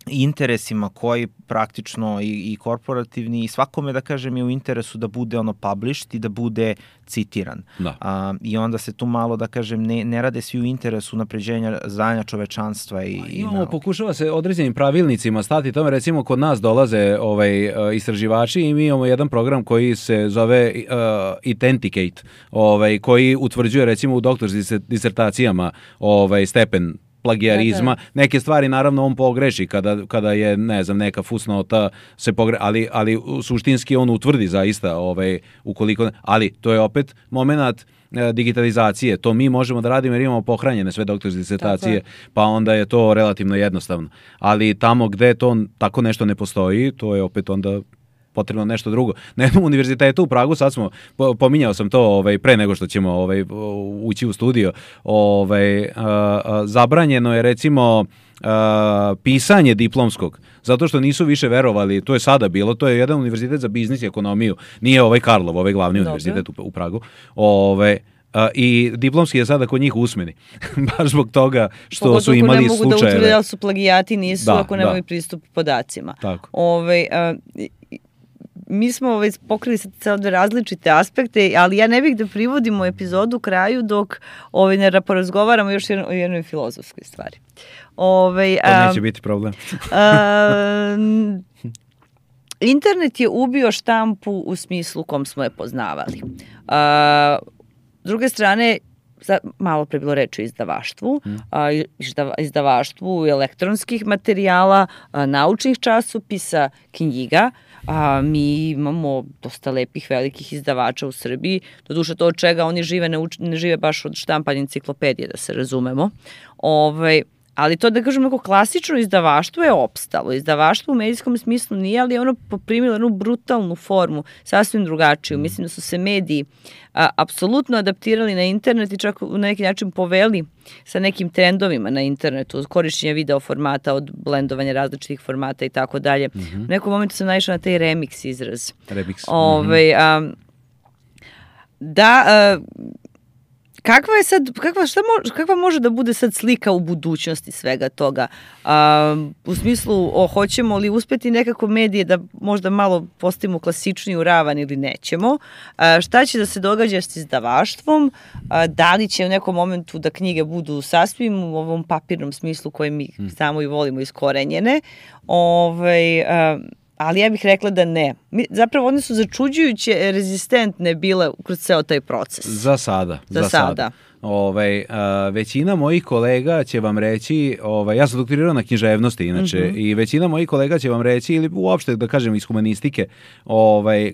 interesima koji praktično i korporativni i svakome, da kažem, je u interesu da bude published i da bude citiran. I onda se tu malo, da kažem, ne rade svi u interesu unapređenja znanja čovečanstva. Pokušava se određenim pravilnicima stati tome, recimo kod nas dolaze istraživači i mi imamo jedan program koji se zove Authenticate, koji utvrđuje recimo u doktorskim disertacijama stepen plagijarizma. Neke stvari naravno on pogreši kada je, ne znam, neka fusnota se pogreši, ali suštinski on utvrdi zaista ukoliko, ali to je opet moment digitalizacije. To mi možemo da radimo jer imamo pohranjene sve doktorske disertacije, pa onda je to relativno jednostavno. Ali tamo gde to tako nešto ne postoji, to je opet onda potrebno nešto drugo. Na jednom univerzitetu u Pragu, sad smo, pominjao sam to pre nego što ćemo ući u studio, zabranjeno je recimo pisanje diplomskog, zato što nisu više verovali, to je sada bilo, to je jedan univerzitet za biznis i ekonomiju, nije Karlov, glavni univerzitet u Pragu, i diplomski je sada kod njih usmeni. Baš zbog toga što su imali slučajeve. Pogotovo ne mogu da utvrde da su plagijati, nisu ako nemaju pristup podacima. Tako. Mi smo pokrili sad dve različite aspekte, ali ja ne bih da privodimo epizodu kraju dok ne porazgovaramo još o jednoj filozofskoj stvari. To neće biti problem. Internet je ubio štampu u smislu u kom smo je poznavali. S druge strane, malo pre bilo reči o izdavaštvu, izdavaštvu elektronskih materijala, naučnih časopisa, knjiga. Mi imamo dosta lepih velikih izdavača u Srbiji, doduše to od čega oni žive, ne žive baš od štampanja enciklopedije, da se razumemo. Ali to, da kažem, neko klasično izdavaštvo je opstalo. Izdavaštvo u medijskom smislu nije, ali je ono poprimilo jednu brutalnu formu, sasvim drugačiju. Mislim da su se mediji apsolutno adaptirali na internet i čak na neki način poveli sa nekim trendovima na internetu, od korišćenja video formata, od blendovanja različitih formata i tako dalje. U nekom momentu sam naišla na taj remix izraz. kakva može da bude sad slika u budućnosti svega toga? U smislu, hoćemo li uspeti nekako medije da možda malo postavimo klasičniju ravan ili nećemo? Šta će da se događa s izdavaštvom? Da li će u nekom momentu da knjige budu sasvim u ovom papirnom smislu koje mi samo i volimo iskorenjene? Ali ja bih rekla da ne. Zapravo one su začuđujuće rezistentne bile kroz ceo taj proces. Za sada. Većina mojih kolega će vam reći, ja sam doktorirao na književnosti inače, i većina mojih kolega će vam reći, ili uopšte da kažem iz humanistike,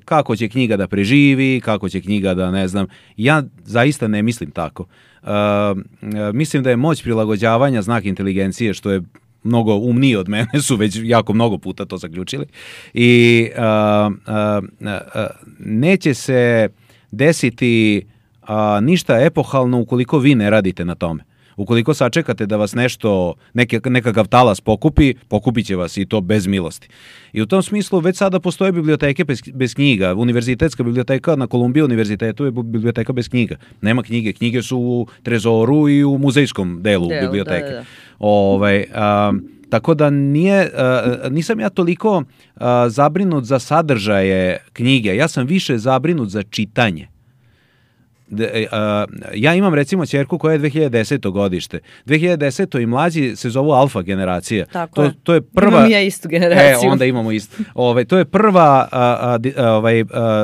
kako će knjiga da preživi, kako će knjiga da, ne znam, ja zaista ne mislim tako. Mislim da je moć prilagođavanja znak inteligencije, što je mnogo umniji od mene, su već jako mnogo puta to zaključili, i neće se desiti ništa epohalno ukoliko vi ne radite na tome. Ukoliko sačekate da vas nekakav talas pokupit će vas, i to bez milosti. I u tom smislu već sada postoje biblioteke bez knjiga. Univerzitetska biblioteka na Columbia univerzitetu je biblioteka bez knjiga. Nema knjige. Knjige su u trezoru i u muzejskom delu biblioteke. Tako da nisam ja toliko zabrinut za sadržaje knjige. Ja sam više zabrinut za čitanje. Ja imam recimo ćerku koja je 2010. godište. 2010. i mlađi se zovu alfa generacija. To je prva... Imam ja istu generaciju. Onda imamo istu. To je prva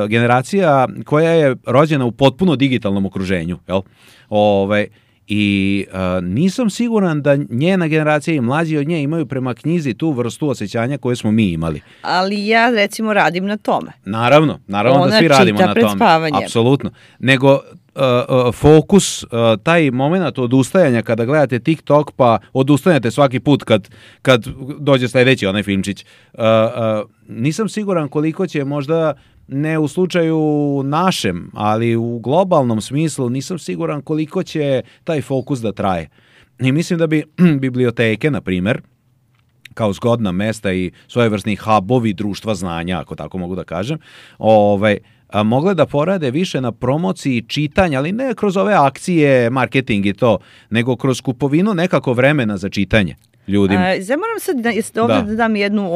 generacija koja je rođena u potpuno digitalnom okruženju. Jel? I nisam siguran da njena generacija i mlađi od nje imaju prema knjizi tu vrstu osjećanja koje smo mi imali. Ali ja recimo radim na tome. Naravno da svi radimo na tome. Spavanjem. Apsolutno. Nego fokus, taj moment odustajanja kada gledate TikTok pa odustanete svaki put kad dođe sljedeći onaj filmčić. Nisam siguran koliko će možda, ne u slučaju našem, ali u globalnom smislu, nisam siguran koliko će taj fokus da traje. I mislim da bi biblioteke, na primjer, kao zgodna mesta i svojevrsni hubovi društva znanja, ako tako mogu da kažem, mogle da porade više na promociji čitanja, ali ne kroz ove akcije, marketing i to, nego kroz kupovinu nekako vremena za čitanje ljudima. Moram sad ovdje da dam jednu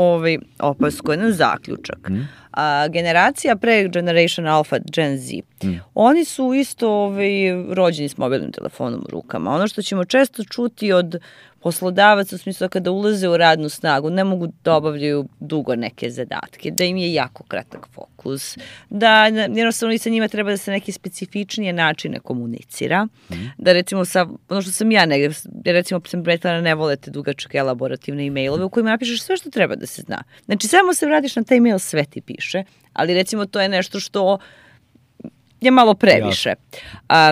opasku, jedan zaključak. Generacija pre Generation Alpha, Gen Z, oni su isto rođeni s mobilnim telefonom u rukama. Ono što ćemo često čuti od poslodavaca u smislu kada ulaze u radnu snagu, ne mogu da obavljaju dugo neke zadatke, da im je jako kratak fokus, da jednostavno i sa njima treba da se neke specifičnije načine komunicira, da recimo ono što sam ja negdje, recimo sam pretvarana, ne volete dugačke elaborativne e-mailove u kojima napišeš sve što treba da se zna. Znači samo se vratiš na taj e-mail, sve ti piše, ali recimo to je nešto što je malo previše.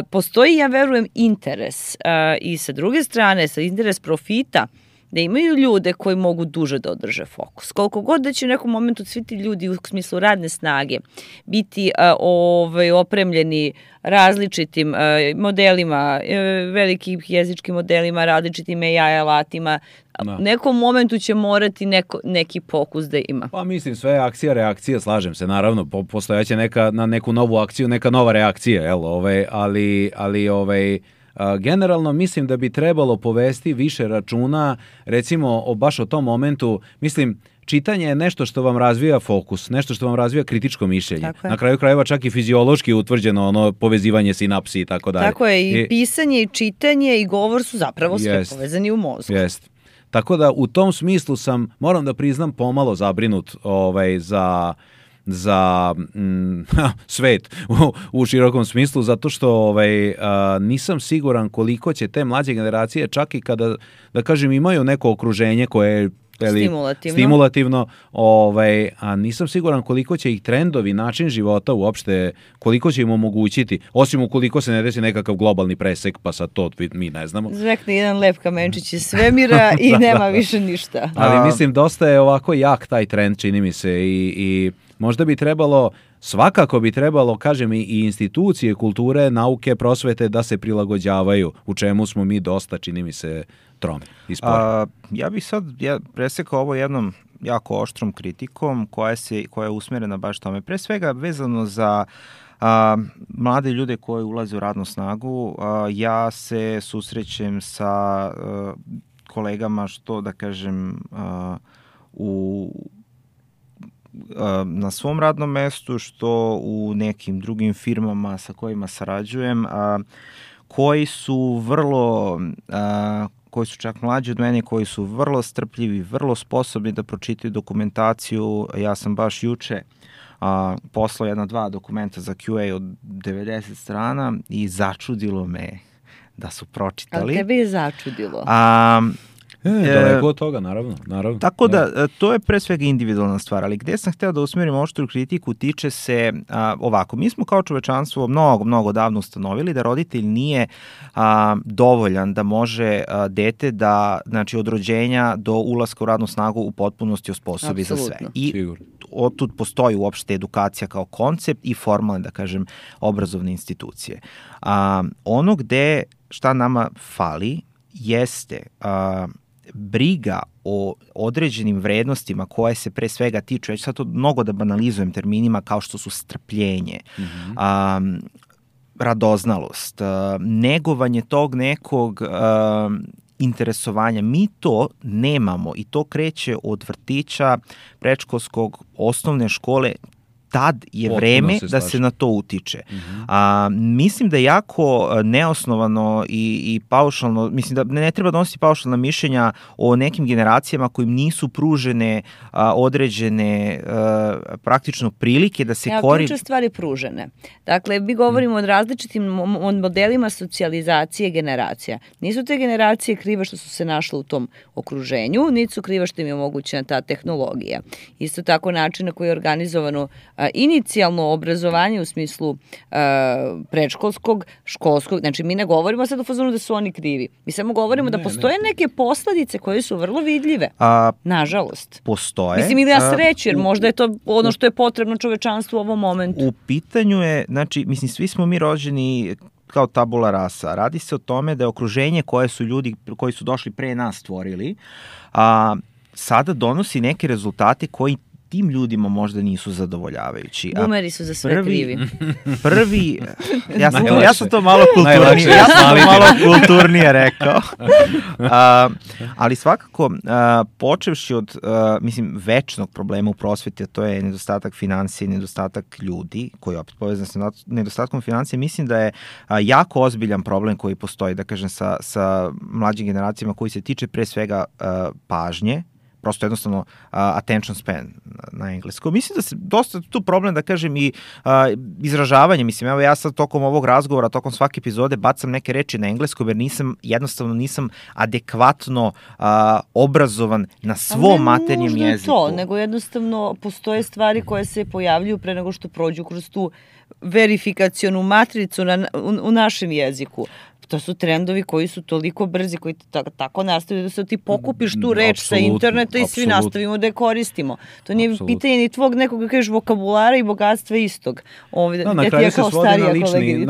Postoji, ja verujem, interes i sa druge strane, sa interes profita, da imaju ljude koji mogu duže da održe fokus. Koliko god da će u nekom momentu svi ti ljudi u smislu radne snage biti opremljeni različitim modelima, velikim jezičkim modelima, različitim AI alatima, u nekom momentu će morati neki fokus da ima. Pa mislim, sve je akcija, reakcija, slažem se, naravno, postojaće na neku novu akciju, neka nova reakcija, ali generalno mislim da bi trebalo povesti više računa, recimo baš o tom momentu, mislim, čitanje je nešto što vam razvija fokus, nešto što vam razvija kritičko mišljenje. Na kraju krajeva čak i fiziološki utvrđeno povezivanje sinapsi i tako dalje. Tako je, i pisanje, i čitanje, i govor su zapravo sve povezani u mozgu. Jest. Tako da u tom smislu moram da priznam, pomalo zabrinut za svet u širokom smislu, zato što nisam siguran koliko će te mlađe generacije, čak i kada, da kažem, imaju neko okruženje koje je stimulativno, a nisam siguran koliko će ih trendovi, način života uopšte, koliko će im omogućiti, osim ukoliko se ne desi nekakav globalni presek, pa sad to mi ne znamo. Zvekne jedan lep kamenčić iz svemira i nema više ništa. Ali mislim, dosta je ovako jak taj trend, čini mi se, i možda bi trebalo, svakako bi trebalo, kažem, i institucije kulture, nauke, prosvete da se prilagođavaju, u čemu smo mi dosta, čini mi se, tromi i spori. Ja bih sad presekao ovo jednom jako oštrom kritikom koja je usmjerena baš tome. Pre svega vezano za mlade ljude koji ulaze u radnu snagu, ja se susrećem sa kolegama, što da kažem, na svom radnom mestu, što u nekim drugim firmama sa kojima sarađujem, koji su koji su čak mlađi od mene, koji su vrlo strpljivi, vrlo sposobni da pročitaju dokumentaciju. Ja sam baš juče poslao 1-2 dokumenta za QA od 90 strana i začudilo me da su pročitali. Ali tebe je začudilo? Daleko od toga, naravno. Tako da, to je pre svega individualna stvar, ali gde sam hteo da usmerim oštru kritiku tiče se ovako. Mi smo kao čovečanstvo mnogo davno ustanovili da roditelj nije dovoljan da može dete da, znači, od rođenja do ulaska u radnu snagu u potpunosti osposobi za sve. I otud postoji uopšte edukacija kao koncept i formalne, da kažem, obrazovne institucije. Ono gde šta nama fali jeste briga o određenim vrednostima koje se pre svega tiču, ja ću sad to mnogo da banalizujem terminima kao što su strpljenje, radoznalost, negovanje tog nekog interesovanja. Mi to nemamo i to kreće od vrtića, predškolskog, osnovne škole. Tad je vreme da se na to utiče. Mislim da je jako neosnovano i paušalno, mislim da ne treba donositi paušalna mišljenja o nekim generacijama kojim nisu pružene određene praktično prilike da se ključne stvari pružene. Dakle, mi govorimo o različitim modelima socijalizacije generacija. Nisu te generacije krive što su se našle u tom okruženju, niti su krive što im je omogućena ta tehnologija. Isto tako način na koji je organizovano inicijalno obrazovanje u smislu predškolskog, školskog, znači mi ne govorimo sad u fazonu da su oni krivi. Mi samo govorimo da postoje neke posledice koje su vrlo vidljive. Nažalost. Postoje. Mislim, ili ja sreću, jer možda je to ono što je potrebno čovečanstvu u ovom momentu. U pitanju je, znači, mislim, svi smo mi rođeni kao tabula rasa. Radi se o tome da je okruženje koje su ljudi koji su došli pre nas stvorili, sada donosi neke rezultate koji tim ljudima možda nisu zadovoljavajući. Bumeri su za sve krivi. Ja sam to malo kulturnije rekao. Ali svakako, počevši od, mislim, večnog problema u prosveti, a to je nedostatak financije i nedostatak ljudi, koji je opet povezan sa nedostatkom financije, mislim da je jako ozbiljan problem koji postoji, da kažem, sa mlađim generacijama, koji se tiče pre svega pažnje, prosto jednostavno attention span na engleskom. Mislim da se dosta tu problem, da kažem, i izražavanje. Mislim, evo ja sad tokom ovog razgovora, tokom svake epizode bacam neke reči na engleskom, jer jednostavno nisam adekvatno obrazovan na svom maternjem jeziku. To, nego jednostavno postoje stvari koje se pojavljuju pre nego što prođu kroz tu verifikacionu matricu u našem jeziku. To su trendovi koji su toliko brzi, koji tako nastavljaju da se ti pokupiš tu reč sa interneta i svi nastavimo da je koristimo. To nije pitanje ni tvog nekog, kažeš, vokabulara i bogatstva istog. Na kraju se svodi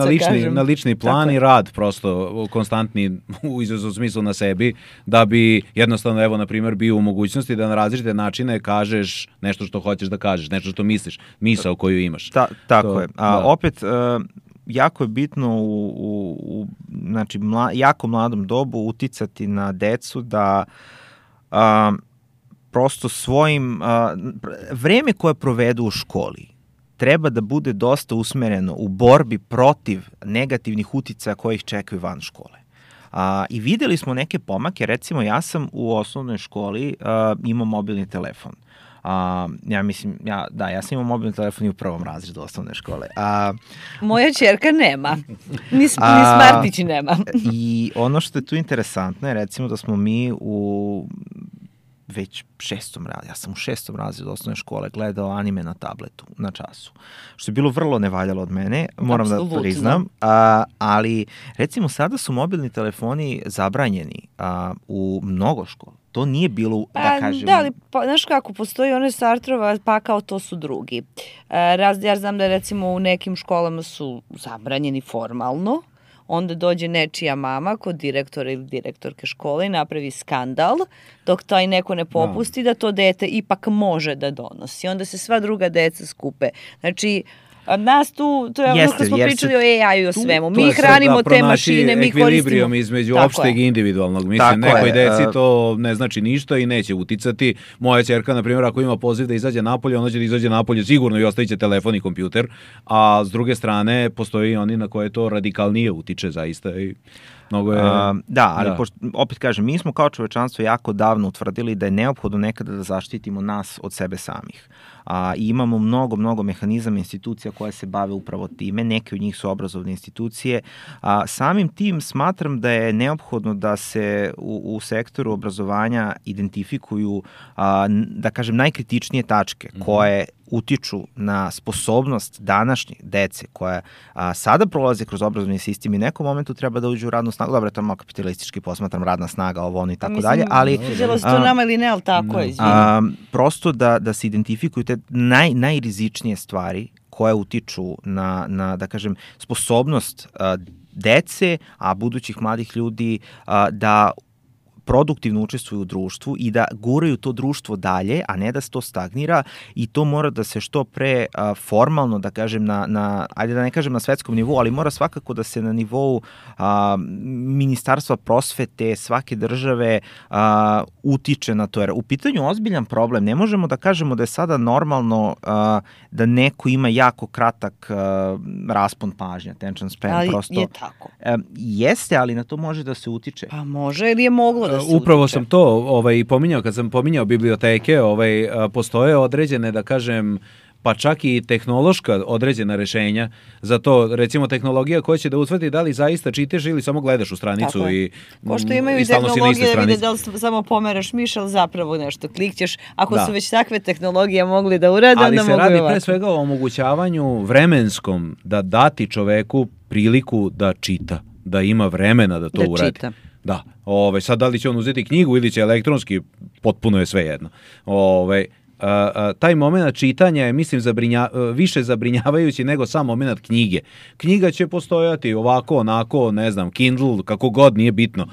na lični plan i rad, prosto konstantni u izrazu smislu na sebi, da bi jednostavno, evo, na primjer, bio u mogućnosti da na različite načine kažeš nešto što hoćeš da kažeš, nešto što misliš, misao koju imaš. Tako je. Opet, jako je bitno u znači, jako mladom dobu uticati na decu da prosto svojim vreme koje provedu u školi treba da bude dosta usmereno u borbi protiv negativnih uticaja koji ih čekaju van škole. I videli smo neke pomake, recimo ja sam u osnovnoj školi imao mobilni telefon. Ja sam imao mobilni telefon i u prvom razredu osnovne škole. Moja ćerka nema. Ni Smartić nema. I ono što je tu interesantno je, recimo, da smo mi u već 6. razredu, ja sam u 6. razredu osnovne škole gledao anime na tabletu, na času. Što je bilo vrlo nevaljalo od mene, moram da priznam. Ali, recimo, sada su mobilni telefoni zabranjeni u mnogo škola. To nije bilo, da kažem... Da, ali, znaš kako, postoji one Sartrova, pa kao to su drugi. Ja znam da, recimo, u nekim školama su zabranjeni formalno, onda dođe nečija mama kod direktora ili direktorke škole i napravi skandal, dok taj neko ne popusti da to dete ipak može da donosi. Onda se sva druga deca skupe. Znači, A nas tu, to je ono što smo pričali o AI-u i o svemu. Mi To je sad hranimo te pronaći mašine, mi ekvilibrijum koristimo. između Tako opšteg i je. individualnog. Mislim, Tako nekoj je, deci to ne znači ništa i neće uticati. Moja ćerka, na primjer, ako ima poziv da izađe napolje, ona će da izađe napolje sigurno i ostavit će telefon i kompjuter, a s druge strane postoji oni na koje to radikalnije utiče zaista i mnogo je... ali opet kažem, mi smo kao čovečanstvo jako davno utvrdili da je neophodno nekada da zaštitimo nas od sebe samih. I imamo mnogo mehanizama, institucija koje se bave upravo time, neke od njih su obrazovne institucije. Samim tim smatram da je neophodno da se u sektoru obrazovanja identifikuju, da kažem, najkritičnije tačke koje utiču na sposobnost današnjih dece koja sada prolaze kroz obrazovni sistem i u nekom momentu treba da uđu u radnu snagu. Dobro, to je malo kapitalistički posmatram, radna snaga, ovo ono i tako dalje, ali... Sviđalo se to nama ili ne, ali tako je, prosto da se identifikuju te najrizičnije stvari koje utiču na da kažem, sposobnost dece, a budućih mladih ljudi da produktivno učestvuju u društvu i da guraju to društvo dalje, a ne da se to stagnira, i to mora da se što pre formalno, da kažem, ajde da ne kažem na svetskom nivou, ali mora svakako da se na nivou Ministarstva prosvete svake države utiče na to. Jer u pitanju ozbiljan problem, ne možemo da kažemo da je sada normalno da neko ima jako kratak raspon pažnja, attention span. Ali prosto, je tako. Jeste, ali na to može da se utiče. Pa može ili je moglo da se Upravo utiče. sam to pominjao, kad sam pominjao biblioteke, postoje određene, da kažem, pa čak i tehnološka određena rešenja za to, recimo tehnologija koja će da utvrdi da li zaista čitaš ili samo gledaš u stranicu i pošto imaju i tehnologije da vide da li samo pomeraš miš, ali zapravo nešto klikćeš. Ako su već takve tehnologije mogli da urade, ali onda se mogu radi ovako. pre svega o omogućavanju vremenskom da dati čoveku priliku da čita, da ima vremena da to uradi. Čita. Da, sad da li će on uzeti knjigu ili će elektronski, potpuno je sve jedno. Taj moment čitanja je, mislim, više zabrinjavajući nego sam moment knjige. Knjiga će postojati ovako, onako, ne znam, Kindle, kako god, nije bitno.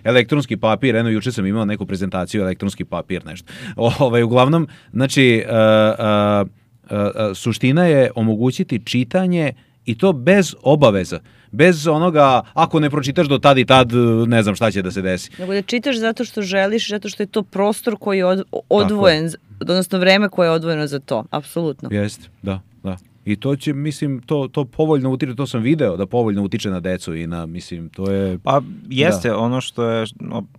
Elektronski papir, juče sam imao neku prezentaciju, elektronski papir, nešto. Uglavnom, znači, suština je omogućiti čitanje i to bez obaveza. Bez onoga, ako ne pročitaš do tad i tad, ne znam šta će da se desi. Nego da čitaš zato što želiš, zato što je to prostor koji je odvojen, odnosno vreme koje je odvojeno za to, apsolutno. Jeste, da. I to će, mislim, to povoljno utiče, to sam video, da povoljno utiče na decu i na, mislim, to je... Pa jeste, ono što je,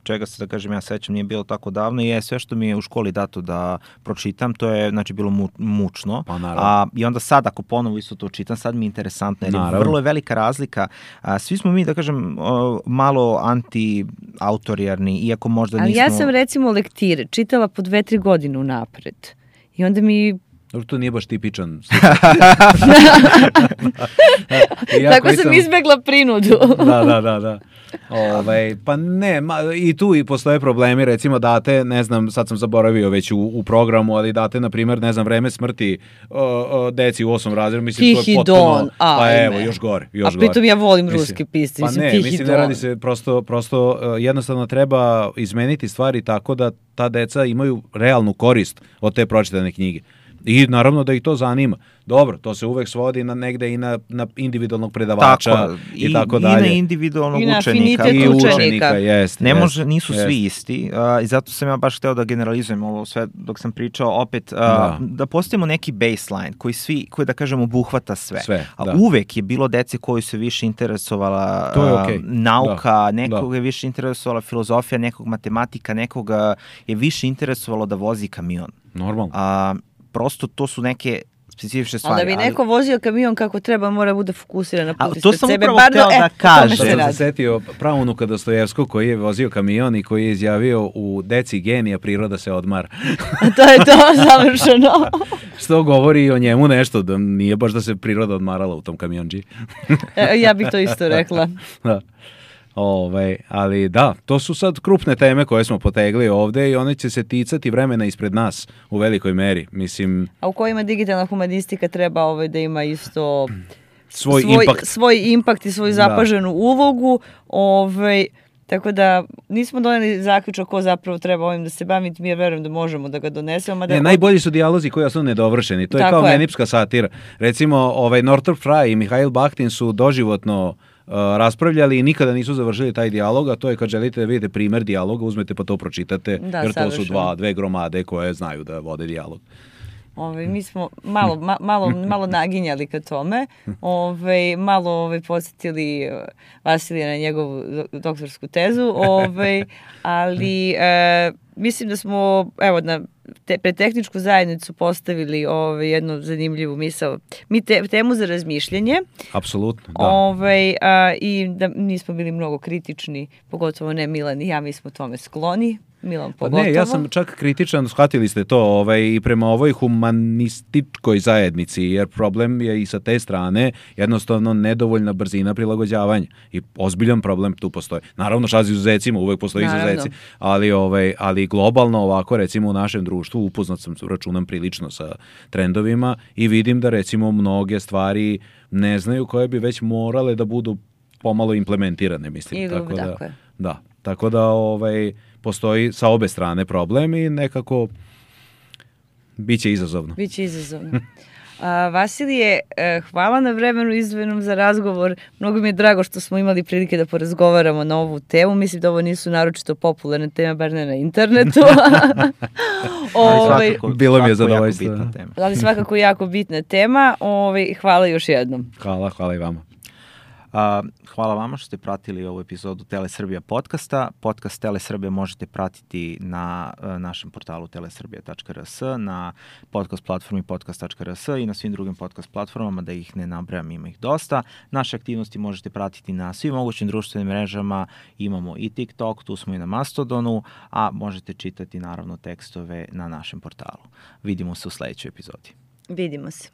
čega se, da kažem, ja sećam, nije bilo tako davno, je sve što mi je u školi dato da pročitam, to je, znači, bilo mučno. Pa naravno. I onda sad, ako ponovo isto to čitam, sad mi je interesantno, jer vrlo je velika razlika. Svi smo mi, da kažem, malo anti-autorijarni, iako možda nismo... Ali ja sam, recimo, lektire čitala po 2-3 godine unapred. I onda mi... To nije baš tipičan. Tako sam izbegla prinudu. Da. Pa ne, i tu i postoje problemi, recimo date, ne znam, sad sam zaboravio već u programu, ali date, na primjer, ne znam, vreme smrti deci u 8. razredu, mislim, Tihi to je potpuno... Don, pa evo, još gore. A pritom ja volim ruske pisce, pa mislim, ne, Tihi mislim, Don. ne radi se, prosto jednostavno treba izmeniti stvari tako da ta deca imaju realnu korist od te pročitane knjige. I naravno da ih to zanima. Dobro, to se uvek svodi na negde i na individualnog predavača i tako dalje. I na individualnog učenika. I učenika, jeste. Ne može, nisu svi isti. I zato sam ja baš hteo da generalizujem ovo sve dok sam pričao. Opet, da postavimo neki baseline koji da kažem obuhvata sve. A uvek je bilo dece koji se više interesovala nauka, nekog je više interesovala filozofija, nekog matematika, nekog je više interesovalo da vozi kamion. Normalno. Prosto to su neke specifične stvari. Ali da bi neko vozio kamion kako treba, mora bude fokusiran na put ispred sebe. To sam upravo hteo da kažem. Sam se setio praunuka Dostojevskog koji je vozio kamion i koji je izjavio u Deci genija priroda se odmara. To je to, završeno. Što govori o njemu nešto, da nije baš da se priroda odmarala u tom kamionđi. Ja bih to isto rekla. Da. Ali da, to su sad krupne teme koje smo potegli ovde i one će se ticati vremena ispred nas u velikoj meri, mislim. A u kojima digitalna humanistika treba da ima isto svoj impakt i svoju zapaženu ulogu, Tako da nismo doneli zaključak ko zapravo treba ovim da se bavi, mi verujem da možemo da ga donesemo. Najbolji su dijalozi koji su nedovršeni, to je kao menipska satira. Recimo, Northrop Frye i Mihail Bakhtin su doživotno raspravljali i nikada nisu završili taj dijalog, a to je kad želite da vidite primer dijaloga, uzmete pa to pročitate, jer to su dve gromade koje znaju da vode dijalog. Mi smo malo naginjali ka tome, malo podsjetili Vasilija na njegovu doktorsku tezu, ali mislim da smo pred tehničku zajednicu postavili jednu zanimljivu misao. Mi temu za razmišljanje. Apsolutno, da. I da nismo bili mnogo kritični, pogotovo ne Milan i ja, mi smo tome skloni. Milan pogotovo. Ne, ja sam čak kritičan, shvatili ste to, i prema ovoj humanističkoj zajednici, jer problem je i sa te strane jednostavno nedovoljna brzina prilagođavanja i ozbiljan problem tu postoji. Naravno, šazi izuzecima, uvek postoji izuzeci, ali globalno ovako, recimo u našem društvu, upoznat sam, računam prilično sa trendovima i vidim da recimo mnoge stvari ne znaju koje bi već morale da budu pomalo implementirane, mislim. Tako da postoji sa obe strane problem i nekako biće izazovno. Biće izazovno. Vasilije, hvala na vremenu izdvojenom za razgovor. Mnogo mi je drago što smo imali prilike da porazgovaramo na ovu temu. Mislim da ovo nisu naročito popularne teme, bar ne na internetu. Bilo mi je zadovoljstvo. Ali svakako jako bitna tema. Hvala još jednom. Hvala i vama. Hvala vama što ste pratili ovu epizodu Telesrbija podcasta. Podcast Telesrbija možete pratiti na našem portalu telesrbija.rs, na podcast platformi podcast.rs i na svim drugim podcast platformama, da ih ne nabrajam, ima ih dosta. Naše aktivnosti možete pratiti na svim mogućim društvenim mrežama, imamo i TikTok, tu smo i na Mastodonu, a možete čitati naravno tekstove na našem portalu. Vidimo se u sledećoj epizodi. Vidimo se.